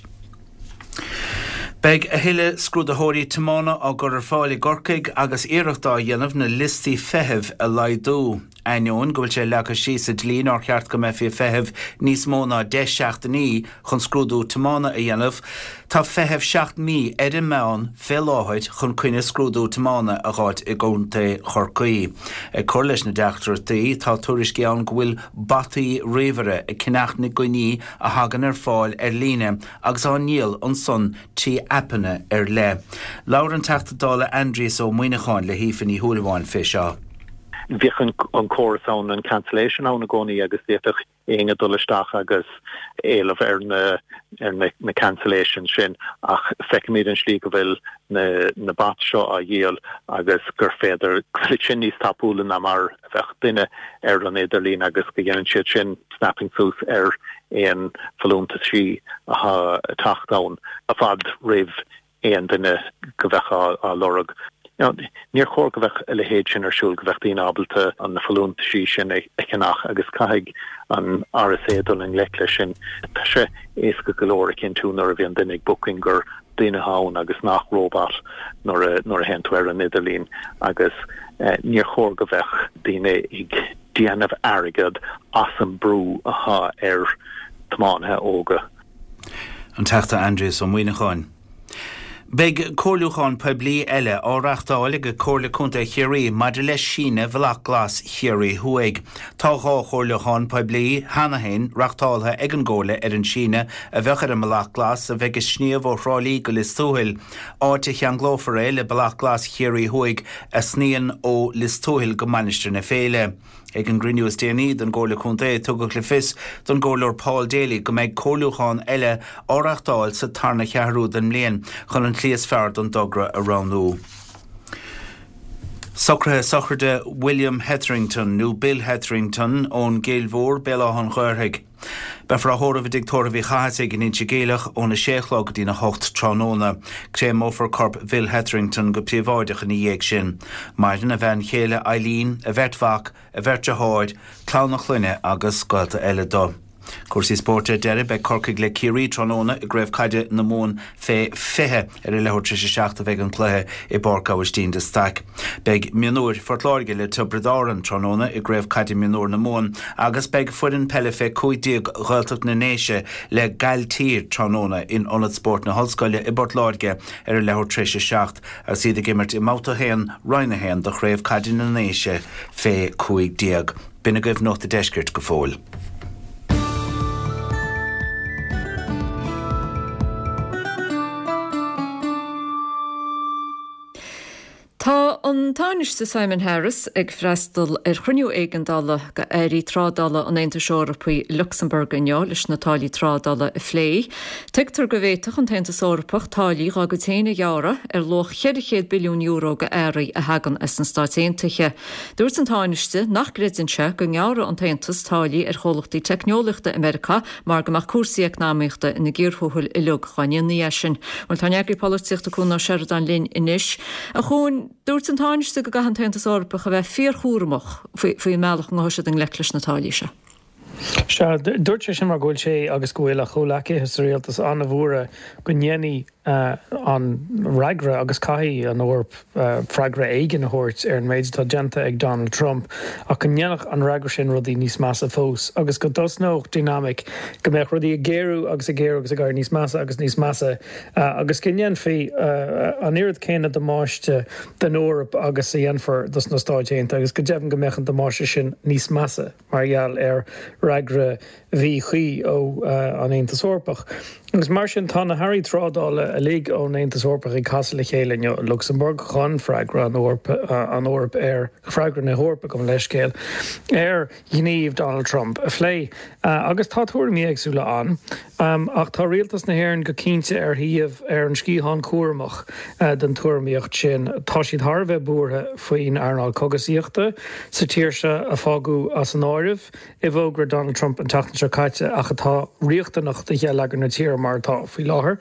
Beidh a thuilleadh scrúdaitheoirí tiomána á gcur ar fáil i gCorcaigh agus iarracht á dhéanamh na liostaí feithimh a laghdú. Ainneoin go bhfuil sé leagtha síos sa dlí nár cheart go mbeifí ag feitheamh níos mó ná deich seachtainí chun scrúdú tiomána a dhéanamh, tá feitheamh seacht mí ar an meán fé láthair chun coinne scrúdú tiomána a dh'fháilt i gContae Chorcaí. Ag cur leis na deacrachtaí, tá tuairiscí ann go bhfuil bataí ríomhaire ag ceannach na gcoinní a thagann ar fáil ar líne agus á ndíol ansan trí aipeanna ar leith. Labhair an Teachta Dála Aindrias Ó Muimhneacháin le hAoife Ní Shúilleabháin fé seo. Bhíodh an córas ann, an cancellation ann i gcónaí agus d'fhéadfadh éinne dul isteach agus éileamh ar na ar na na cancellations sin ach feicimid an slí go bhfuil na na bots seo á dhíol agus gur féidir go bhfuil sin níos tapúla ná mar a bheadh duine ar an idirlíon agus go dhéanann siad sin snapping suas ar aon folúntaisí atá ag teacht ann i bhfad roimh aon duine go bheadh á lorg. Níor chóir go bheadh a leithéid sin ar siúl, go bheadh daoine ábalta na folúntaisí sin a cheannach agus caithfidh an RSA dul i ngleic leis sin. Tá sé éasca go leor a chinntiú nuair a bhíonn duine ag booking gur duine atá ann agus nach robot nuair a nuair a théann tú ar an idirlíon agus níor chóir go bheadh daoine ag déanamh airgead as an brú atá ar tiománaithe óga. An Teachta Aindrias Ó Muimhneacháin. Beidh comhairliúchán poiblí eile á reáchtáil ag Comhairle Contae Chiarraí maidir le síneadh Bhealach Glas Chiarraí Thuaidh. Tá dhá chomhairliúchán poiblí cheana féin reáchtáltha ag an gComhairle ar an síneadh a bheadh ar an mBealach Glas a bheidh ag sníomh ó Thrá Lí go Lios Tuathail, áit a cheanglófar é le Bealach Glas Chiarraí Thuaidh a shníonn ó Lios Tuathail go Mainistir na Féile. Ag an gcruinniú is déanaí den gComhairle Contae, tugadh le fios don gComhairleoir Paul Daly go mbeidh comhairliúchán eile á reáchtáil sa tarna cheathrú den mbliain chun an tslí is fearr don dtogra a roghnú. Socruithe sochraide William Hetherington nó Bill Hetherington ón gCill Mhór, Béal Átha an Ghaorthaidh. Beifear á thórramh i dTigh Tórraimh Uí Chathasaigh in Inse Geimhleach óna sé a chlog go dtína hocht tráthnóna. Créamófar corp Bhill Hetherington go príobháideach ina dhiaidh sin. Maireann a bhean chéile Eileen, a bheirt mhac, a bheirt deartháir, clann a chlainne agus gaolta eile dó. Cúrsaí spóirt ar deireadh, beidh Corcaigh le Ciarraí tráthnóna i gCraobh Caide na Mumhan fé fiche. Ar a leathuair tar éis a seacht a bheidh an cluiche i bPáirc Aibhistín de Staic. Beidh mionúir Phort Láirge le Tiobraid Árann tráthnóna i gCraobh Caide Mionúir na Mumhan agus beidh foireann peile fé cúig déag Ghaeltacht na nDéise le Gailltír tráthnóna in Ionad Spóirt na hOllscoile i bPort Láirge ar a leathuair tar éis a seacht agus iad ag imirt i mBabhta a haon, Roinn a haon de Chraobh Caide na nDéise fé cúig déag. B'in agaibh Nuacht an Deiscirt go fóill. Tá an Tánaiste Simon Harris ag freastal ar chruinniú éigeandála de airí trádála an Aontais Eorpaigh i Lucsamburg inniu leis na táillí trádála a phlé. Tuigtear go bhféadfadh an tAontas Eorpach táillí dá gcuid féin a ghearradh ar luach cheithre chéad billiún euro d'earraí a thagann as na Stáit Aontaithe. Dúirt an Tánaiste nach gcreideann sé go ngearrfadh an tAontas táillí ar chomhlachtaí teicneolaíochta i Meiriceá mar go mbeadh cúrsaí eacnamaíochta ina gcíor thuathail uilig dá ndéanfaí é sin. Bhuel tá ár n-eagraí polaitíochta Cuan Ó Seireadáin linn anois. A Chuain, dúirt an Tánaiste go gcaithfidh an tAontas Eorpach a bheith fíorchúramach faoin mbealach a ngabhfaidh siad i ngleic leis na táillí seo. Sea, dúirt sé sin mar go bhfuil sé agus go bhfuil a chomhleacaithe sa rialtas an-bhuartha go ndéanfaidh an fhreagra agus caithfidh an Eoraip freagra éigin a thabhairt ar an méid atá déanta ag Donald Trump ach go ndéanfadh an fhreagra sin rudaí níos measa fós agus go dtosnódh dinimic go mbeadh rudaí ag géarú agus ag géarú agus ag éirí níos measa agus níos measa agus go ndéanfaí an oiread céanna damáiste don Eoraip agus a dhéanfar dos na Stáit Aontaithe agus go deimhin go mbeadh an damáiste sin níos measa mar gheall ar fhreagra mhíchuí ó an Aontas Eorpach. Agus mar sin tá na hairí trádála uilig ón Aontas Eorpach ag casadh le chéile inniu i Lucsamburg chun freagra an an Eoraip ar freagra na hEorpa gabh mo leithscéal ar ghníomh Donald Trump a phlé. Agus tá tuairimí éagsúla ann, ach tá rialtas na hÉireann go cinnte ar thaobh ar an sciathán cúramach den tuairimíocht sin. Tá siad thar a bheith buartha faoin earnáil cógaisíochta sa tír seo a fágadh as an áireamh i bhfógra Donald Trump an tseachtain seo caite ach atá riachtanach do gheilleagar na tíre mar atá faoi láthair,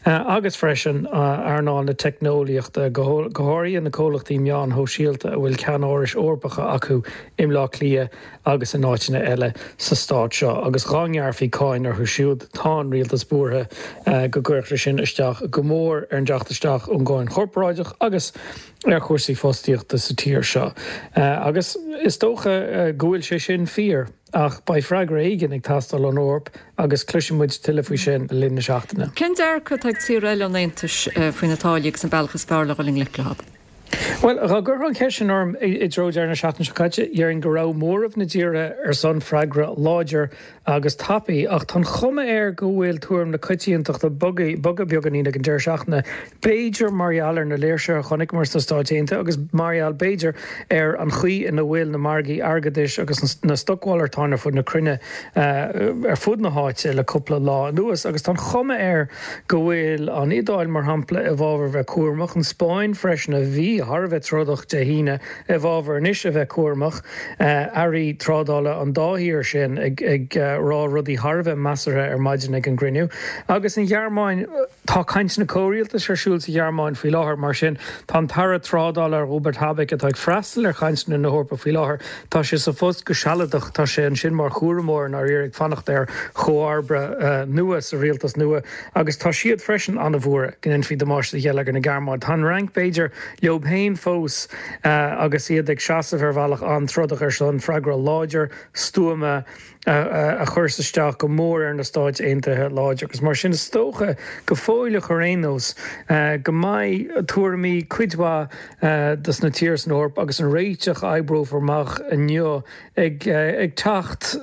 agus freisin earnáil na teicneolaíochta, go háirithe na comhlachtaí meáin shóisialta a bhfuil ceannárais Eorpacha acu i mBleá Cliath agus in áiteanna eile sa stát seo, agus dhá ngearrfaí cáin orthu siúd, tá an rialtas buartha go gcuirfeadh sé sin isteach go mór ar an dteacht isteach ón gcáin chorparáideach agus ar chúrsaí fostaíochta sa tír seo. Agus is dócha go bhfuil sé sin fíor, ach beidh freagra éigin ag teastáil ón Eoraip agus cloisfidh muid tuilleadh faoi sin le linn na seachtaine. Cén dearcadh atá ag tíortha eile an Aontais faoi na táillí agus an bealach is fearr le dhul i ngleic leo? Bhuel, dhá gcuirfeá an cheist sin orm i dtreo deireadh na seachtaine seo caite, déarfainn go raibh móramh na dtíortha ar son freagra láidir agus tapaidh, ach tá an chuma air go bhfuil tuairim na coitiantachta bogtha beagáinín ag an deireadh seachtaine, b'fhéidir mar gheall ar na léirsithe a chonaiceamar sna Stáit Aontaithe agus mar gheall, b'fhéidir, ar an chaoi ina bhfuil na margaí airgeadais agus na stocmhalartáin ar fud na cruinne, ar fud na háite le cúpla lá anuas. Agus tá an chuma air go bhfuil an Iodáil, mar shampla, i bhfabhar bheith cúramach, an Spáinn freisin, a bhí thar a bheith trodach Dé hAoine, i bhfabhar anois a bheith cúramach. Airí trádála an dá thír sin ag rá rudaí thar a bheith measartha ar maidin ag an gcruinniú. Agus an Ghearmáin, tá cainteanna comhrialtais ar siúl sa Ghearmáin faoi láthair, mar sin tá an tAire Trádála Robert Habeck, atá ag freastal ar chainteanna na hEorpa faoi láthair, tá sé sa phost go sealadach, tá sé ansin mar chúramóir i ndáiríre ag fanacht ar chomharba nua sa rialtas nua agus tá siad freisin an-bhuartha go ndéanfaí damáiste do gheilleagar na Gearmáine. Tá an Fhrainc, b'fhéidir, leo féin. féin fós agus iad ag seasamh ar bhealach an-trodach ar son freagra láidir, stuama a chuireas isteach go mór ar na Stáit Aontaithe láidir agus mar sin is dócha go fóilleach ar aon nós go mbeidh tuairimí cuid mhaith dos na tíortha san Eoraip agus an réiteach a oibreofar amach inniu ag teacht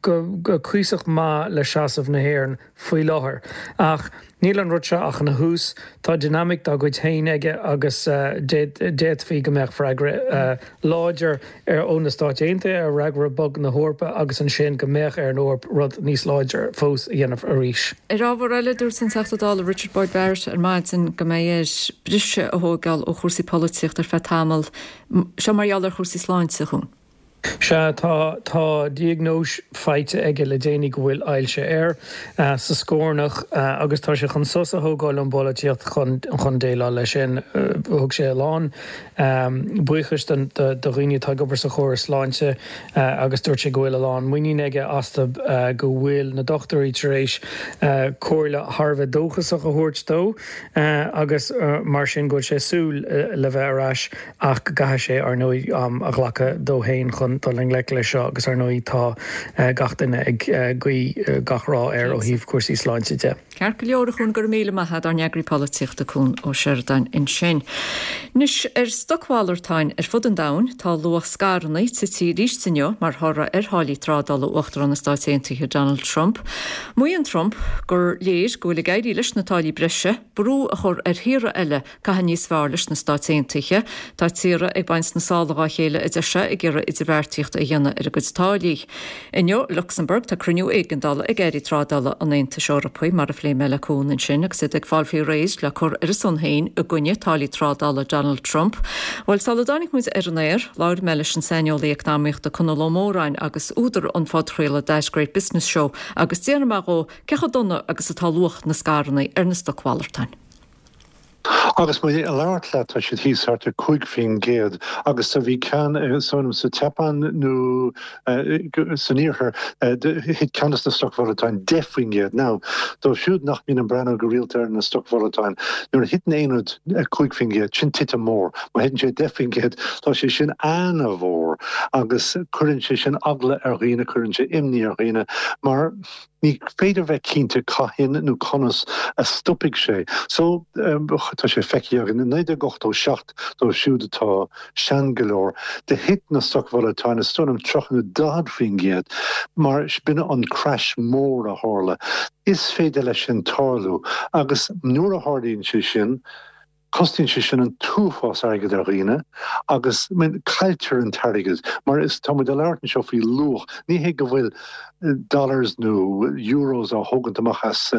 go cuíosach maith le seasamh na hÉireann faoi láthair. Ach níl an rud seo ach ina thús, tá dinimic dá gcuid féin aige agus d'fhéadfaí go mbeadh freagra láidir ó na Stáit Aontaithe ar fhreagra bog na hEorpa agus ansin go mbeadh ar an Eoraip rud níos láidre fós a dhéanamh arís. Ar ábhar eile, dúirt an Teachta Dála Richard Boyd Barrett ar maidin go mbeidh air briseadh a thógáil ó chúrsaí polaitíochta ar feadh tamaill, seo mar gheall ar chúrsaí sláinte, a Chuain. Sea, tá, tá diagnóis faighte aige le déanaí go bhfuil ailse air sa scornach agus tá sé chun sos a thógáil ón bpolaitíocht chun, chun déileáil leis sin. Thug sé a lán buíochais do, do dhaoine atá ag obair sa chóras sláinte agus dúirt sé go bhfuil a lán muinín aige astu, go bhfuil na dochtúirí tar éis comhairle thar a bheith dóchasach a thabhairt dó agus mar sin go bhfuil sé ag súil le bheith ar ais ach go gcaithfidh sé, ar ndóigh, am a ghlacadh dó féin chun dul i ngleic leis seo agus ar ndóigh tá gach duine ag guí gach rath air ó thaobh cúrsaí sláinte de. Ceart go leor, a Chuain, go raibh míle maith agat, ár n-eagraí polaitíochta Cuan Ó Seireadáin ansin. Anois, ar stocmhalartáin ar fud an domhain, tá luach scaireanna tite arís inniu mar thoradh ar tháillí trádála Uachtarán na Stáit Aontaithe Donald Trump. Maíonn Trump gur léir go bhfuil ag éirí leis na táillí breise brú a chur ar thíortha eile caitheamh níos fearr leis na Stáit Aontaithe. Tá tíortha ag baint na sála dhá chéile, a deir sé, ag iarraidh idirbheartaíocht a dhéanamh ar a gcuid táillí. Inniu i Lucsamburg tá cruinniú éigeandála ag airí trádála an Aontais Eorpaigh, mar a phléigh mé le Cuan ansin, agus iad ag fáil faoi réir le cur ar a son féin i gcoinne táillí trádála Donald Trump. Bhuel, sula dtáinig muid ar an aer, labhair mé leis an saineolaí eacnamaíochta Conall Ó Móráin agus údar an phodchraoladh That Great Business Show agus d'fhiafraigh mé dhó cé chomh dona agus atá luach na scaireanna ar na stocmhalartáin. Agus muid ag labhairt leat tá siad thíos thart ar cúig faoin gcéad agus bhí ceann sa tSeapáin nó san iarthar thit ceann de na stocmhalartáin deich faoin gcéad. Now, dóibh siúd nach mbíonn ag breathnú go rialta ar na stocmhalartáin, nuair a thiteann aon rud cúig faoin gcéad, sin titim mór. Má thiteann sé deich faoin gcéad, tá sé sin ana-mhór agus cuireann sé sin eagla ar dhaoine, cuireann sé imní ar dhaoine mar ní féidir bheith cinnte cathain nó conas a stopfaidh sé. So tá sé feicthe againn i naoi déag ochtó seacht dóibh siúd atá sean go leor, do thit na stocmhalartáin is dóigh liom tríocha nó daichead faoin gcéad mar b'in an crash mór a tharla. Is féidir leis sin tarlú agus nuair a tharlaíonn sé sin, Cosnaíonn sé sin an t-uafás airgid ar dhaoine agus cailltear an t-airgead mar is tá muid ag labhairt anseo faoi luach, ní hé go bhfuil dollars nó euros á thógaint amach as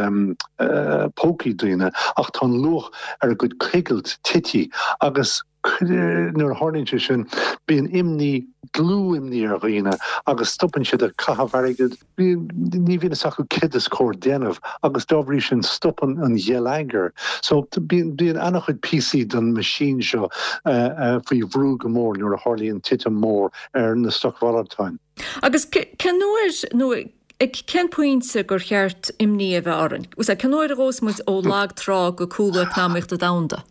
pócaí daoine ach tá an luach ar a gcuid coigilt tite agus nuair a tharlaíonn sé sin bíonn imní, dlúth-imní ar dhaoine agus stopann siad ag caitheamh airgid. Ní bhíonn fhios acu céard is cóir déanamh agus dá bhrí sin stopann an gheilleagar. So bíonn bíonn an-chuid píosaí den machine seo faoi bhrú go mór nuair a tharlaíonn titim mór ar na stocmhalartáin. Agus cén uair nó ag cén pointe gur cheart imní a bheith orainn? Cén uair a ghabhfas muid ó lag trá go cúlú eacnamaíochta domhanda?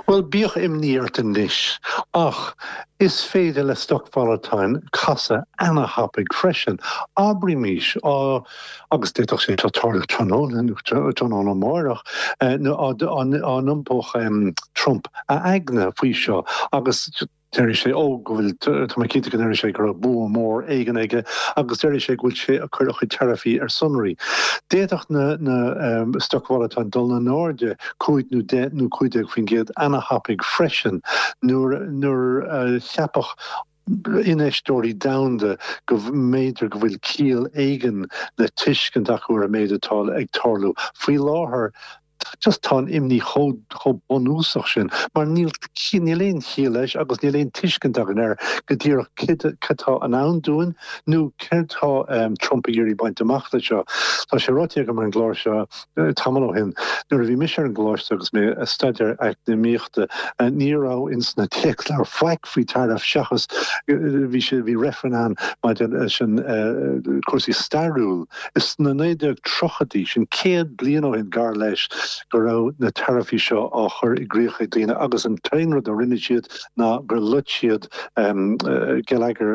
Bhuel, bíodh imní ort anois, ach is féidir le stocmhalartáin casadh ana-thapaidh freisin. Abraímis, agus d'fhéadfadh sé seo tarlú tráthnóna nó tráthnóna amárach, nó dá n-iompódh Trump a aigne faoi seo agus déarfaidh sé, ó, go bhfuil, tá mé cinnte go ndéarfaidh sé go raibh bua mór éigin aige agus déarfaidh sé go bhfuil sé ag cur a chuid taraifí ar sonraí. D'fhéadfadh na na stocmhalartáin dul in airde cúig nó deich nó cúig déag faoin gcéad ana-thapaidh freisin nuair nuair a cheapfadh infheisteoirí domhanda go mb'fhéidir go bhfuil ciall éigin le tuiscint acu ar an méid atá ag tarlú faoi láthair. Just tá an imní chomh chomh bunúsach sin mar níl níl aon chiall leis agus níl aon tuiscint againn air go díreach céard cad tá i ndán dúinn nó céard tá Trump ag iarraidh baint amach le seo. Tá sé ráite agam ar an gclár seo tamall ó shin, nuair a bhí mise ar an gcoláiste agus mé ag staidéar eacnamaíochta ní raibh ins na téacsleabhair faic faoi tariff seachas bhí sé bhí reifreann ann maidir leis an cúrsaí stairiúil. Is sna naoi déag tríochaidí, sin céad bliain ó shin gar leis, go raibh na taraifí seo á chur i gcrích ag daoine agus an t-aon rud a rinne siad ná gur loit siad geilleagar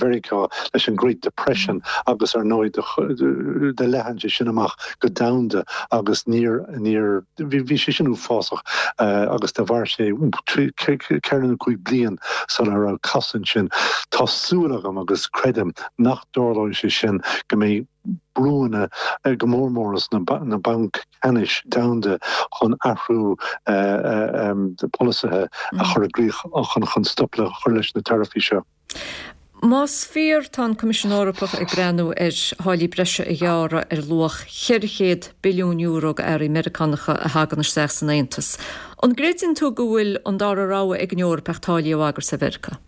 Mheiriceá leis an Great Depression agus ar ndóigh do leathan sé sin amach go domhanda agus níor níor bhí sé sin uafásach agus do mhair sé ceithre nó cúig bliain sula raibh cosaint sin. Tá súil agam agus creidim nach dtarlóidh sé sin go mbeidh brúanna go mór mór as na bainc ceannais domhanda chun athrú polasaithe a chur i gcrích chun chun stop le chur leis na taraifí seo. Más fíor, tá an Coimisiún Eorpach ag breathnú ar tháillí breise a ghearradh ar luach ceithre chéad billiún euro d'earraí Meiriceánacha a thagann isteach san Aontas. An gcreideann tú go bhfuil an dara rogha ag an Eoraip ach táillí a bhagairt ar Mheiriceá?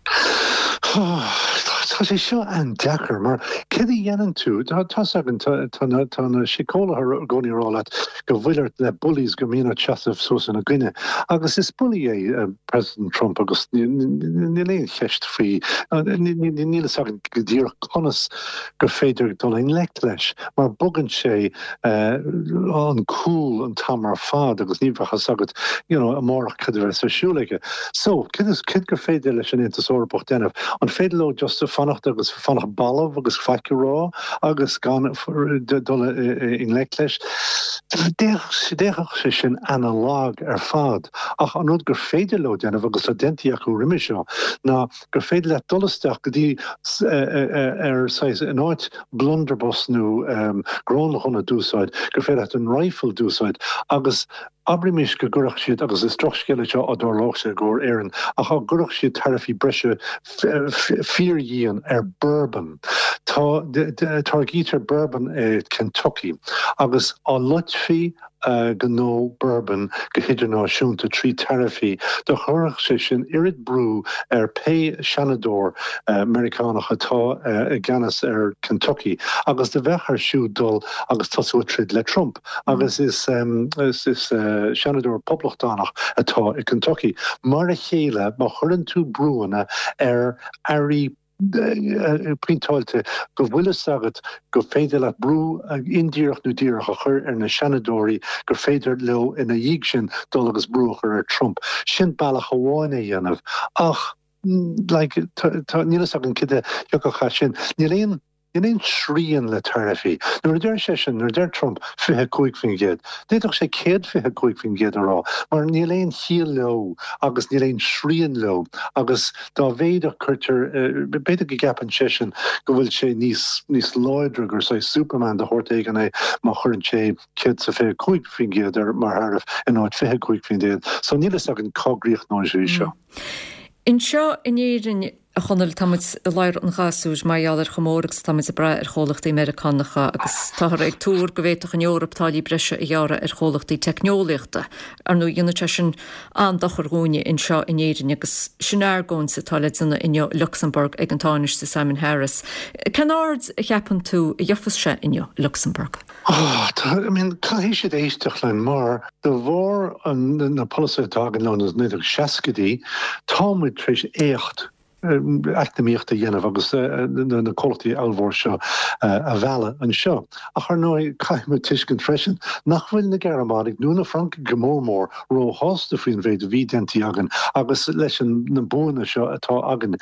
Tá sé seo an-deacair mar céard a dhéanann tú, tá's againn tá na síceolaithe i gcónaí ag rá leat go bhfuil ort le bullies go mbíonn ort seasamh suas ina gcoinne. Agus is bully é President Trump agus níl aon cheist faoi, níl fhios againn go díreach conas gur féidir dul i ngleic leis mar bogann sé an cúl an t-am ar fad agus ní bheadh fhios agat you know amárach cad a bheas ar siúl aige. So cad is cad gur féidir leis an Aontas Eorpach déanamh? An féidir leo just fanacht agus fanacht balbh agus faic a rá agus gan dul i ngleic leis? D'fhéadfadh sé sin an-lag ar fad. Ach an rud gur féidir leo déanamh agus tá déanta acu roimhe seo ná gur féidir leat dul isteach go dtí ar saghas in áit blunderbuss nó gránghunna d'úsáid, gur féidir leat an rifle d'úsáid agus abraimis go gcuirfeadh siad, agus is drochscéal é seo á dtarlódh sé i gcomhair Éireann, ach á gcuirfeadh siad taraifí breise fíordhian ar bourbon. Tá, táirgítear bourbon i Kentucky agus á loitfí gnó bourbon go hidirnáisiúnta trí taraifí, do chuirfeadh sé sin oiread brú ar pé seanadóir Meiriceánach atá i gceannas ar Kentucky agus do bheadh air siúd dul agus tosú ag troid le Trump agus is is seanadóir poblachtánach atá i Kentucky. Mar a chéile, má chuireann tú brúanna ar earraí pointeáilte go bhfuil fhios agat gur féidir leat brú indíreach nó díreach a chur ar na seanadóirí gur féidir leo ina dhiaidh sin dul agus brú a chur ar Trump. Sin bealach amháin é dhéanamh. Ach like tá níl fhios againn cad a thiocfadh as sin. Níl aon Níl aon srian le taraifí. Nuair a deir seisean, nuair a deir Trump fiche cúig faoin gcéad, d'fhéadfadh sé céad fiche cúig faoin gcéad a rá, mar níl aon chiall leo agus níl aon srian leo agus dá mhéad a chuirtear, b'fhéidir go gceapann seisean go bhfuil sé níos, níos láidre, gur saghas Superman de shórt éigin é má chuireann sé céad is fiche cúig faoin gcéad air mar tharaif in áit fiche cúig faoin gcéad. So níl fhios againn cá gcríochnóidh sé seo. Anseo in Éirinn, a Chonaill, tá muid i ladhar an ghasúir mar gheall ar chomh mór agus atá muid ag brath ar chomhlachtaí Meiriceánacha agus táthar ag tuar go bhféadfadh an Eoraip táillí breise a ghearradh ar chomhlachtaí teicneolaíochta. Ar ndóigh, dhéanfadh sé sin an-dochar dhúinne anseo in Éirinn agus sin argóint atá le déanamh inniu i Lucsamburg ag an Tánaiste Simon Harris. Cén aird a cheapann tú a gheofas sé inniu i Lucsamburg? Oh, I mean, caithfidh siad éisteacht linn mar de bharr na polasaithe atá againn ó na naoi déag seascaidí, tá muid tar éis éacht eacnamaíochta a dhéanamh agus na comhlachtaí ollmhór seo a mhealladh anseo. Ach ar ndóigh, caithfidh muid tuiscint freisin nach bhfuil na Gearmánaigh nó na Francaigh go mór mór róshásta faoin mhéid a bhí déanta againn agus leis na buanna seo atá againn.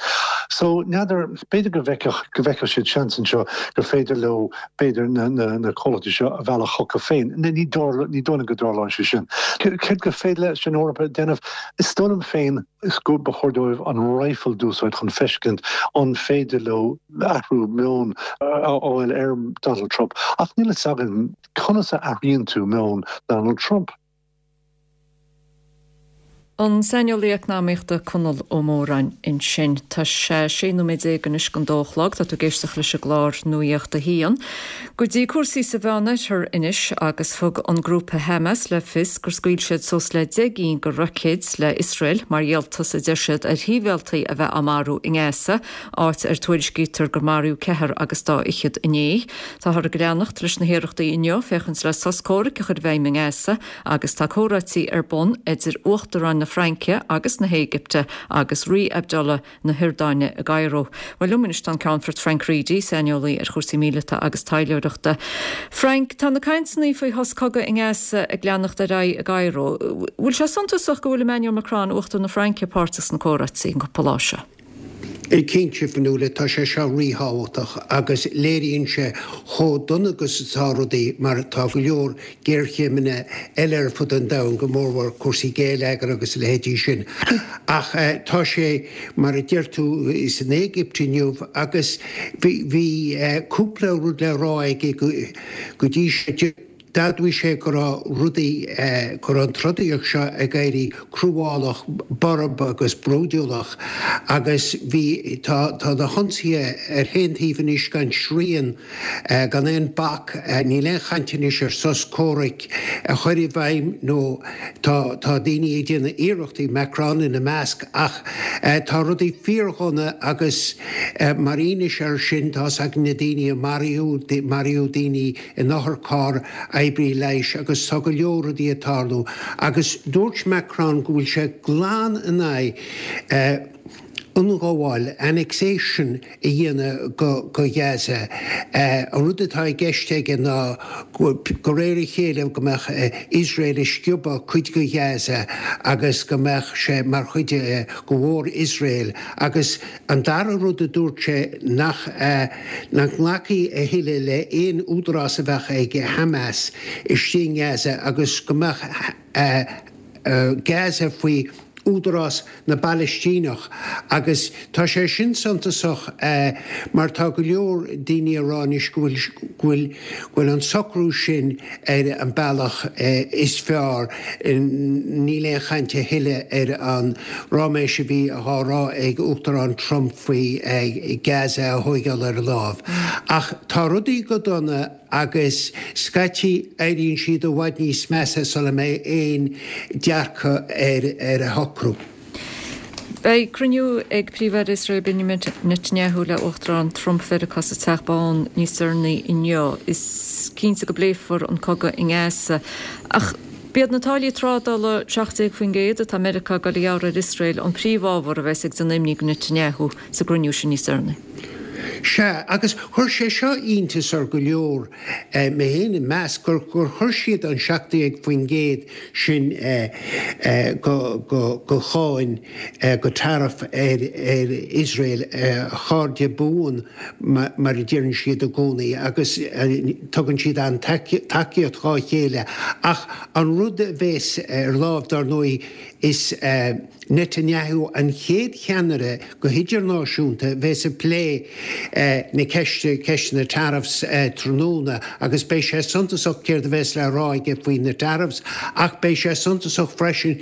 So, n'fheadar, b'fhéidir go bhfeicfeadh, go bhfeicfeadh siad seans anseo gur féidir leo, b'fhéidir, na, na, na comhlachtaí seo a mhealladh chucu féin. Ní dóigh, ní dóigh liom go dtarlóidh sé sin. Céard gur féidir leis an Eoraip a dhéanamh? Is dóigh liom féin is go ba chóir dóibh an rifle d'úsáid chun feiscint an féidir leo athrú meoin a fháil ar Donald Trump. Ach níl fhios againn conas a athraíonn tú meon Donald Trump. An saineolaí eacnamaíochta Conall Ó Móráin ansin. Tá sé sé nóiméad déag anois don dó a chlog. Tá tú ag éisteacht leis an gclár Nuacht a hAon. Go dtí cúrsaí sa Mheánoirthear anois agus thug an grúpa Hamas le fios gur scaoil siad suas le deich gcinn de roicéid le Iosrael mar dhíoltas a deir siad ar shibhialtaigh a bheith á marú i nGaza, áit ar tuairiscítear gur maraíodh ceathrar agus dá fhichead inné. Táthar ag leanacht leis na hiarrachtaí inniu féachaint le sos comhraic a chur i bhfeidhm i nGaza agus tá comhráití ar bun idir Uachtarán na Fraince agus na hÉigipte agus Rí Abdullah na hIordáine i gCairo. Well liom anois tá an Ceannfort Frank Reidy, saineolaí ar chúrsaí míleata agus taidhleoireachta. Frank, tá na cainteanna faoi shos cogaidh i nGaza ag leanacht ar aghaidh i gCairo. Bhfuil sé suntasach go bhfuil Emmanuel Macron, Uachtarán na Fraince, páirteach sna comhráite an cúpla lá seo? Cinnte, Fionnuala, tá sé seo ríthábhachtach agus léiríonn sé chomh dona agus atá rudaí mar tá go leor géarchéimeanna eile ar fud an domhain, go mórmhór cúrsaí géilleagair agus a leithéidí sin. Ach tá sé, mar a deir tú, san Éigipt inniu agus bhí cúpla rud le rá aige go dtí seo. D'admhaigh sé go raibh rudaí, go raibh an trodaíocht seo ag éirí cruálach, borb agus brúidiúlach agus bhí, tá, tá na hionsaithe ar chaon taobh anois gan srian, gan aon bac, níl aon chaint anois ar sos comhraic a chur i bhfeidhm nó tá, tá daoine ag déanamh iarrachtaí, Macron ina measc, ach tá rudaí fíordhona agus mar fhianaise air sin tá's againn na daoine a maraíodh, maraíodh daoine in otharcharr, oibrí leighis agus tá go leor rudaí ag tarlú agus dúirt Macron go bhfuil sé glan in aghaidh ionghabháil, annexation, a dhéanamh go Gaza. An rud atá i gceist aige ná go réir a chéile go mbeadh Iosrael ag sciobadh cuid de Ghaza agus go mbeadh sé mar chuid de mhór-Iosrael agus An dara rud a dúirt sé nach nach nglacfaí a thuilleadh le aon údarás a bheadh ag Hamas istigh i nGaza agus go mbeadh Gaza faoi údarás na bPalaistíneach agus tá sé sin suntasach mar tá go leor daoine ag rá anois go bhfuil go bhfuil go bhfuil an socrú sin ar an bealach is fearr. Níl aon chaint a thuilleadh ar an ráiméis a bhí á rá ag Uachtarán Trump faoi Gaza a thóigeáil ar a láimh. Ach tá rudaí go dona agus scaití éiríonn siad i bhfad níos measa sula mbeidh aon dearcadh ar a shocrú. Beidh cruinniú ag Príomh-Aire Iosrael Benjamin Netanyahu le Uachtarán Trump Mheiriceá sa Teach Bán níos deireanaí inniu. Is cinnte go bpléifear an cogadh i nGaza. Ach b'iad na táillí trádála seacht déag faoin gcéad atá Meiriceá ag dul a ghearradh ar Iosrael an príomhábhar a bheas ag déanamh imní do Netanyahu sa gcruinniú sin níos deireanaí. Sea, agus chuir sé seo iontas ar go leor, mé féin ina measc, gur chuir siad an seacht déag faoin gcéad sin de cháin, de tariff ar Iosrael, a chairde buan mar a deireann siad i gcónaí, agus tugann siad an-tacaíocht dhá chéile. Ach an rud a bheas ar láimh, dar ndóigh, is Netanyahu an chéad cheannaire go hidirnáisiúnta a bheas ag plé na ceiste, ceist na tariffs tráthnóna agus beidh sé suntasach céard a bheas le rá aige faoi na tariffs ach beidh sé suntasach freisin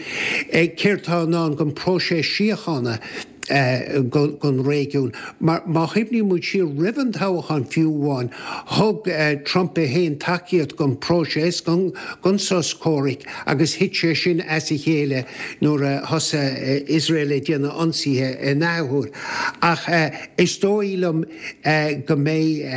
céard tá i ndán don próiseas síochána don réigiún. Mar má chuimhníonn muid siar roimh an toghchán fiú amháin, thug Trump é féin tacaíocht don phróiseas, don sos comhraic agus thit sé sin as a chéile nuair a thosaigh Iosrael ag déanamh ionsaithe in athuair. Ach is dóigh liom go mbeidh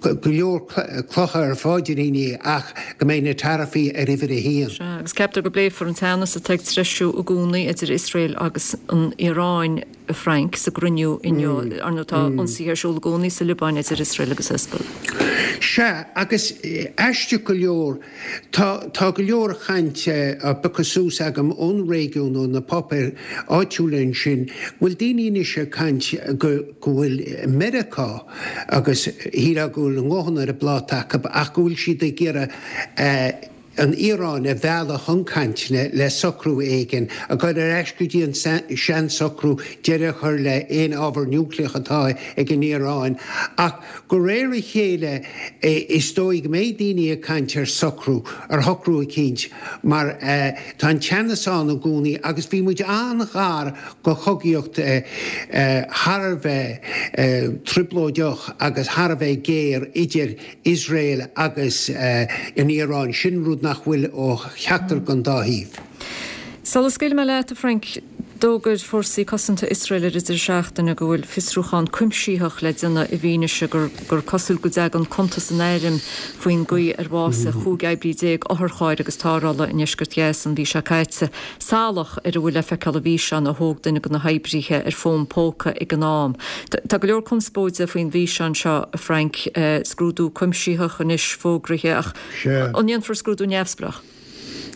go leor clocha ar a pháidríní ach go mbeidh na taraifí ar uimhir a haon. Sea, agus ceaptar go bpléifear an teannas atá ag treisiú i gcónaí idir Iosrael agus an Iaráin, a Frank, sa gcruinniú inniu. Ar ndóigh tá ionsaithe ar siúl i gcónaí sa Liobáin idir Iosrael agus Hezbollah. Sea, agus aisteach go leor, tá tá go leor cainte á piocadh suas agam ón réigiún, ó na páipéir áitiúla ansin, go bhfuil daoine anois ag caint go go bhfuil Meiriceá, agus shílfeá go bhfuil a nguthanna ar an bpláta acu, ach go bhfuil siad ag iarraidh an Iaráin a mhealladh chun cainteanna le socrú éigin, a dhul ar ais go dtí an seansocrú, deireadh a chur le haon ábhar núicléach atá ag an Iaráin. Ach de réir a chéile is dóigh go mbeidh daoine ag caint ar socrú, ar shocrú eicínt, mar tá an teannas ann i gcónaí agus bhí muid an-ghar go chogaíocht thar a bheith trioblóideach agus thar a bheith géar idir Iosrael agus an Iaráin. Sin rud nach bhfuil ó cheachtar den dá thaobh. Sula scaoilfidh mé leat, a Frank, D'fhógair Fórsaí Cosanta Iosrael ar an deireadh seachtaine go bhfuil fiosrúchán cuimsitheach le déanamh i bhfianaise gur gur cosúil go dtagann cuntas an airm faoin gcaoi ar bhásaigh chúig oibrí déag otharchairr agus tarrthála i ndeisceart Ghaza an mhí seo caite. Salach ar a bhfuil le feiceáil i bhfíseán a thóg duine de na hoibrithe ar fón póca ag an am. Tá go leor conspóide faoin bhfíseán seo, a Frank, scrúdú cuimsitheach anois fógraithe ach an ndéanfar scrúdú neamhspleách?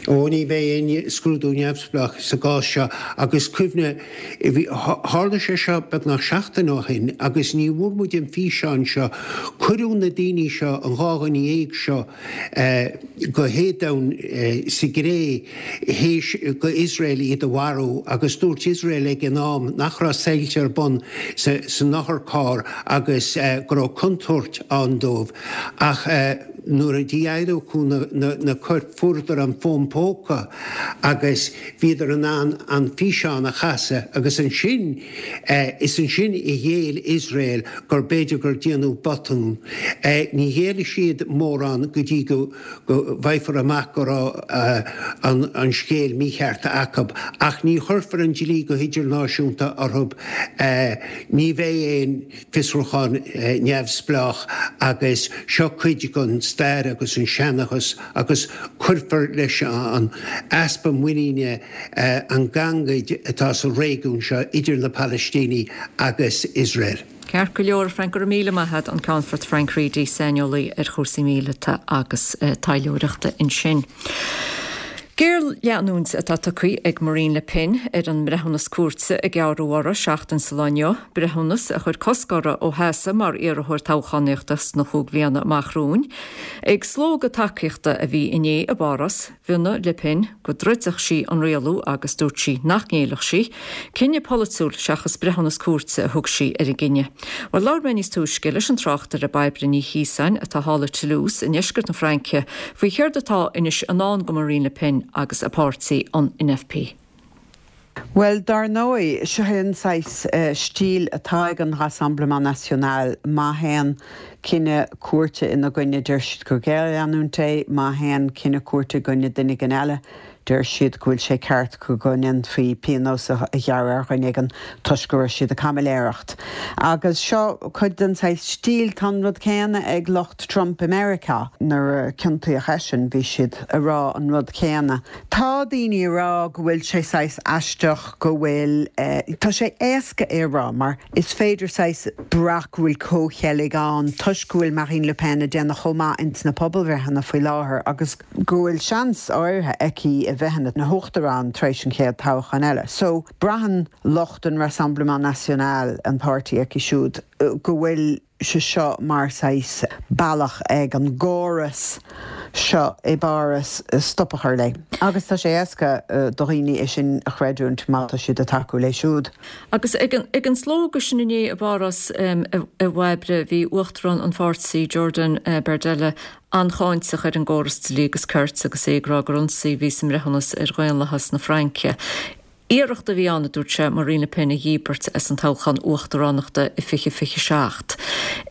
Ó ní bheidh aon scrúdú neamhspleách sa gcás seo agus cuimhnigh, tharla sé seo beagnach seachtain ó shin agus ní bhfuair muid an físeán seo. Cuireadh na daoine seo, an dhá dhuine dhéag seo, go héadomhain sa gcré théis go Iosrael iad a mharú agus dúirt Iosrael ag an am nach raibh soilse ar bun san otharcharr agus go raibh contúirt ann dóibh ach nuair a d'adhlacadh na coirp fuaireadar an fón póca agus bhíodar in ann an físeán a chasadh agus ansin is ansin a ghéill Iosrael gur b'fhéidir gur déanadh botún. Ní ghéillfidh siad mórán go dtí go bhfaighfear amach go raibh an scéal mícheart acu ach ní chuirfear an dlí go hidirnáisiúnta orthu. Ní bheidh aon fiosrúchán neamhspleách agus seo cuid den stair agus an seanchas agus cuirfear leis an easpa muiníne, an ghangaid atá sa réigiún seo idir na Palaistínigh agus Iosrael. Ceart go leor, Frank, go raibh míle maith agat, an Ceannfort Frank Reidy, saineolaí ar chúrsaí míleata agus taidhleoireachta ansin. Géarleanúint atá tugtha ag Marine Le Pen ar an mbreithiúnas cúirte a gearradh uirthi seachtain sa lá inniu, breithiúnas a chuir cosc uirthi ó sheasamh mar iarrthóir toghchánaíochta sna chúig bhliana amach romhainn. Ag slógadh tacaíochta a bhí inné i bPáras, mhionnaigh Le Pen go dtroidfeadh sí an rialú agus dúirt sí nach ngéillfeadh sí. Cinneadh polaitiúil seachas breithiúnas cúirte a thug sí ar an gcinneadh. Bhuel, labhair mé níos túisce leis an tráchtaire Bairbre Ní Chiosáin atá thall i Toulouse i ndeisceart na Fraince faoi chéard atá anois i ndán do Marine Le Pen agus a páirtí an N F P. Bhuel, dar ndóigh, seo é an saghas stíl atá ag an Rassemblement National. Má théann cinneadh cúirte ina gcoinne, deir siad gur géarleanúint é, má théann cinneadh cúirte i gcoinne duine éigin eile, deir siad go bhfuil sé ceart go ndéanfaí pionós a ghearradh ar dhuine éigin toisc go raibh siad ag caimiléireacht. Agus seo cuid den saghas stíl. Tá an rud céanna ag lucht Trump i Meiriceá. Nuair a ciontaíodh eisean, bhí siad ag rá an rud céanna. Tá daoine ag rá go bhfuil sé saghas aisteach go bhfuil, tá sé éasca é a rá mar is féidir saghas brath go bhfuil comhcheilg ann toisc go bhfuil Marine Le Pen ag déanamh chomh maith ins na pobalbhreitheanna faoi láthair agus go bhfuil seans áirithe aici a bheith ina huachtarán tar éis an chéad toghchán eile. So braitheann lucht an Rassemblement National, an páirtí aici siúd, go bhfuil sé seo mar saghas bealach ag an gcóras seo i bPáras stop a chur léi. Agus tá sé éasca do dhaoine é sin a chreidiúint má tá siad ag tacú léi siúd. Agus ag an, ag an slógadh sin inné i bPáras a Bhairbre, bhí uachtarán an pháirtí Jordan Bardella an-cháinteach ar an gcóras dlí agus cirt agus é ag rá gur ionsaí a bhí sa mbreithiúnas ar dhaonlathas na Fraince. Iarracht a bhí ann, a dúirt sé, Marine Le Pen a dhíbirt as an toghchán uachtaránachta i fiche fiche seacht.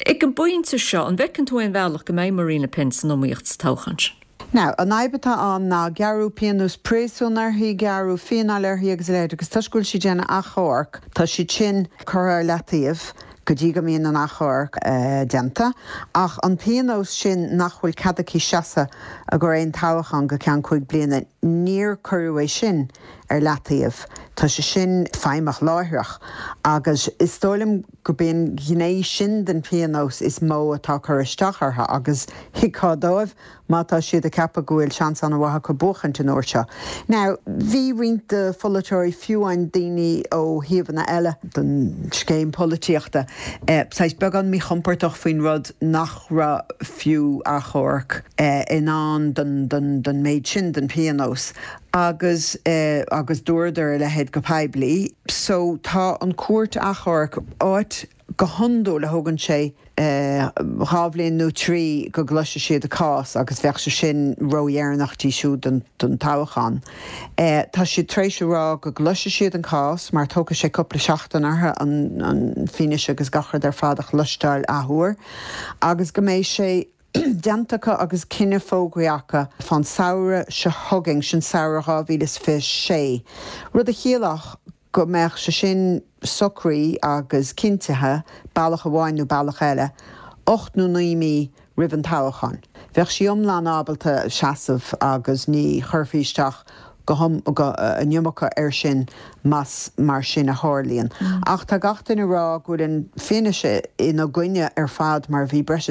Ag an bpointe seo, an bhfeiceann tú aon bhealach go mbeidh Marine Le Pen san iomaíocht sa toghchán sin? Now, an fhadhb atá ann ná gearradh pionós príosúin uirthi, gearradh fíneáil uirthi agus a leithéid agus toisc go bhfuil sí ag déanamh achomharc, tá siad sin curtha ar leataobh go dtí go mbíonn an achomharc déanta. Ach an pionós sin nach bhfuil cead aici seasamh i gcomhair aon toghchán go ceann cúig bliana, níor cuireadh é sin ar leataobh. Tá sé sin feidhmeach láithreach agus is dóigh liom gurb í an ghné sin den phionós is mó atá ag cur isteach orthu agus thuigfeá dóibh má tá siad ag ceapadh go bhfuil seans an-mhaith acu buachaint an uair seo. Now, bhí roinnt de pholaiteoirí, fiú amháin daoine ó thaobhanna eile den scéim polaitíochta, saghas beagán míchompordach faoin rud nach raibh fiú achomharc i ndán don don méid sin den phionós agus agus dúradar a leithéid go poiblí. So tá an cúirt achomhairc, áit go hiondúil a thógann sé dhá bhliain nó trí go gcloisfidh siad a cás agus bheadh sé sin ródheireanach di siúd don don toghchán. Tá siad tar éis a rá go gcloisfidh siad an cás mar tógfaidh sé cúpla seachtain orthu an an fianaise agus gach rud ar fad a chloisteáil athuair agus go mbeidh sé déanta acu agus cinneadh fógraithe acu fán samhradh seo chugainn, sin samhradh dhá mhíle is fiche sé, rud a chiallódh go mbeadh sé sin socraithe agus cinntithe bealach amháin nó bealach eile ocht nó naoi mí roimh an toghchán. Bheadh sí iomlán ábalta seasamh agus ní chuirfí isteach go go an iomarca air sin más mar sin a tharlaíonn. Ach tá gach duine ag rá go bhfuil an fianaise ina gcoinne ar fad mar bhí breis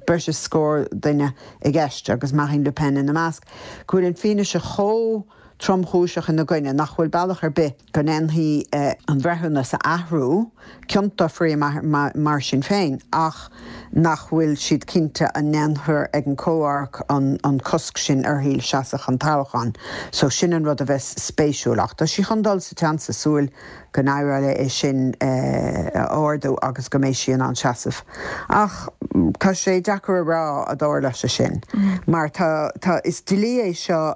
breis is scór duine i gceist agus Marine Le Pen ina measc, go bhfuil an fianaise chomh tromchúiseach ina gcoinne nach bhfuil bealach ar bith go ndéanfaí an breithiúnas a athrú, ciontófaí mar sin féin, ach nach bhfuil siad cinnte an ndéanfar ag an gcomharc an cosc sin uirthi seasamh chun toghcháin. So sin an rud a bheas spéisiúil ach tá sí chun dul sa tseans is súil go n-éireoidh léi é sin a ardú agus go mbeidh sí in ann seasamh. Ach tá sé deacair a rá an dtarlóidh sé sin mar tá tá is dlí é seo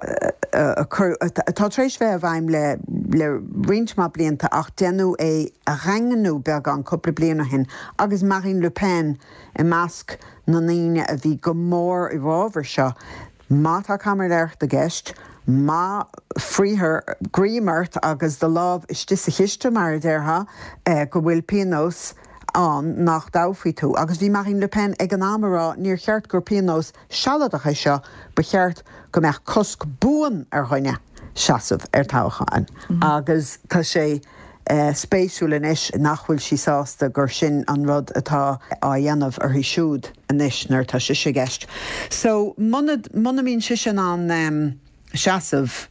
a atá tar éis bheith i bhfeidhm le le roinnt mhaith blianta ach déanadh é a dhaingniú beagán cúpla bliain ó shin agus Marine Le Pen i measc na ndaoine a bhí go mór i bhfabhar seo. Má tá caimiléireacht i gceist, má fríthear greim ort agus do lámh istigh sa chiste mar a déarfá, go bhfuil pionós ann nach dtoghfaí tú. Agus bhí Marine Le Pen ag an am ag rá níor cheart gur pionós sealadach é seo, ba cheart go mbeadh cosc buan ar dhuine seasamh ar toghchán. Agus tá sé spéisiúil anois nach bhfuil sí sásta gur sin an rud atá á dhéanamh uirthi siúd anois nuair atá sise i gceist. So muna muna mbíonn sise in ann seasamh,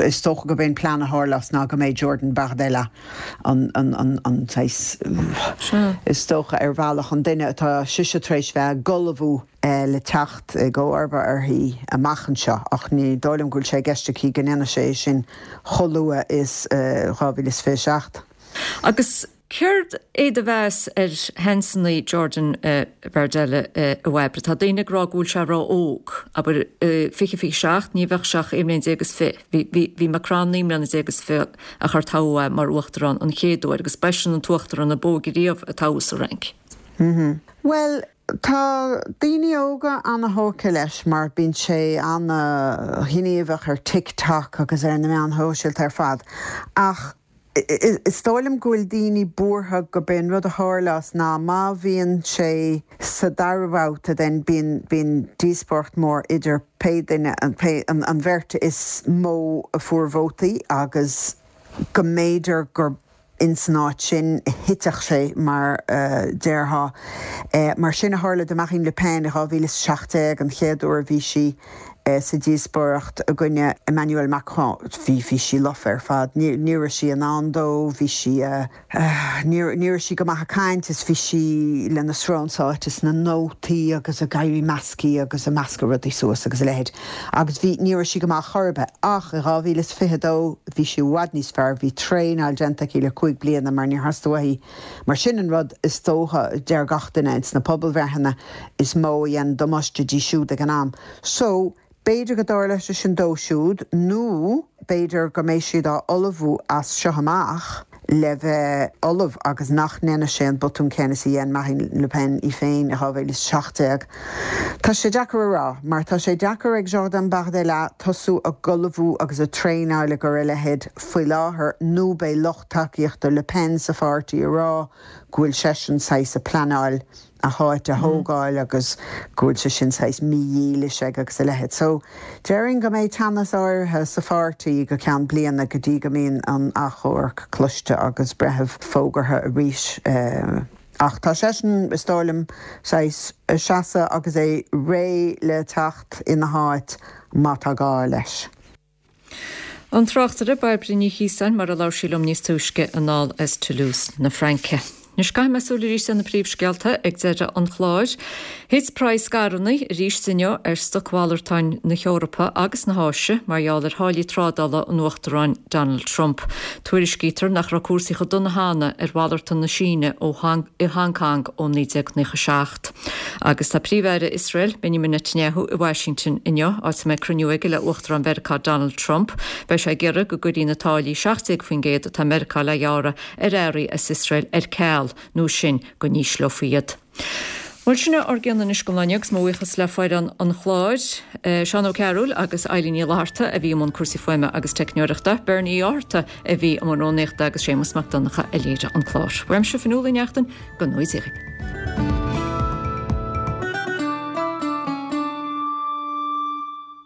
is dócha gurb é an plean a tharlós ná go mbeidh Jordan Bardella an an an an saghas is dócha ar bhealach an duine atá sise tar éis bheith ag ullmhú le teacht i gcomharba uirthi amach anseo ach ní dóigh liom go bhfuil sé i gceist aici go ndéanfaidh sé sin chomh luath is dhá mhíle is fiche seacht. Agus céard é do mheas ar sheansanna Jordan Bardella a Bhairbre? Tá daoine ag rá go bhfuil sé ró-óg, abair fiche fiche seacht, ní bheadh sé ach aon bhliain déag is fiche. Bhí bhí bhí Macron naoi mbliana déag is fiche a chur toghadh é mar uachtarán an chéad uair agus b'eisean an t-uachtarán ab óige riamh a toghadh sa Fhrainc. Bhuel, tá daoine óga ana-thógtha leis mar bíonn sé ana-ghníomhach ar TikTok agus ar na meáin shóisialta ar fad ach is dóigh liom go bhfuil daoine buartha gurb é an rud a tharlós ná má bhíonn sé sa dara babhta then bíonn bíonn díospóireacht mór idir pé duine pé an an bheirt is mó a fuair vótaí agus go mb'fhéidir gur ins an áit sin a thitfeadh sé mar a déarfá. Mar sin a tharla do Marine Le Pen i dhá mhíle is a seacht déag, an chéad uair a bhí sí sa díospóireacht i gcoinne Emmanuel Macron. Bhí bhí sí lofa ar fad. Ní ní raibh sí in ann dó, bhí sí ní ní raibh sí go maith ag caint is bhí sí lena srón sáite sna nótaí agus ag éirí measctha agus ag meascadh rudaí suas agus a leithéid. Agus bhí ní raibh sí go maith chor ar bith. Ach i dhá mhíle is fiche dó bhí sí i bhfad níos fearr, bhí traenáil déanta aici le cúig bliana mar níor theastaigh uaithi. Mar sin an rud is dócha, deir gach duine ins na pobalbhreitheanna, is mó a dhein damáiste di siúd ag an am. So, b'fhéidir go dtarlóidh sé sin dó siúd nó b'fhéidir go mbeidh siad á ullmhú as seo amach le bheith ullamh agus nach ndéanfaidh sé an botún céanna is a dhein Marine Le Pen í féin i dhá mhíle is seacht déag. Tá sé deacair a rá mar tá sé deacair ag Jordan Bardella tosú ag ullmhú agus ag traenáil i gcomhair a leithéid faoi láthair nó beidh lucht tacaíochta Le Pen sa pháirtí ag rá go bhfuil seisean saghas ag pleanáil a háit a thógáil agus go bhfuil sé sin saghas mídhílis aige agus a leithéid. So, déarfainn go mbeidh teannas áirithe sa pháirtí go ceann bliana go dtí go mbíonn an achomharc cloiste agus breitheamh fógartha arís. Ach tá seisean, is dóigh liom, saghas ag seasamh agus é réidh le teacht ina háit má tá gá leis. An tráchtaire Bairbre Ní Chiosáin mar a labhair sí liom níos túisce anall as Toulouse na Fraince. Anois caithfidh mé súil arís ar na príomhscéalta ag deireadh an chláir. Thit praghas scaireanna arís inniu ar stocmhalartáin na hEorpa agus na hÁise mar gheall ar tháillí trádála an Uachtaráin Donald Trump. Tuairiscítear nach raibh cúrsaí chomh dona cheana ar mhalartán na Síne ó i Hong Kong ó naoi déag nócha seacht. Agus tá Príomh-Aire Iosrael, Benjamin Netanyahu, i Washington inniu, áit a mbeidh cruinniú aige le Uachtarán Mheiriceá Donald Trump. Beidh sé ag iarraidh go gcuirfí na táillí seacht déag faoin gcéad atá Meiriceá le gearradh ar earraí as Iosrael ar ceal nó sin go n-ísleofaí iad. Bhuel sin ár gcion anois don lá inniu agus mo bhuíochas le foireann an chláir, Seán Ó Cearúil agus Eilín Ní Fhlatharta a bhí i mbun cúrsaí fuaime agus teicneoireachta, Bernie Uí Fhátharta a bhí i mbun rúnaíochta agus Séamus Mac Donncha a léirigh an clár. Uaimse Fionnuala Ní Neachtain, go ngnóthaí Dia dhaoibh.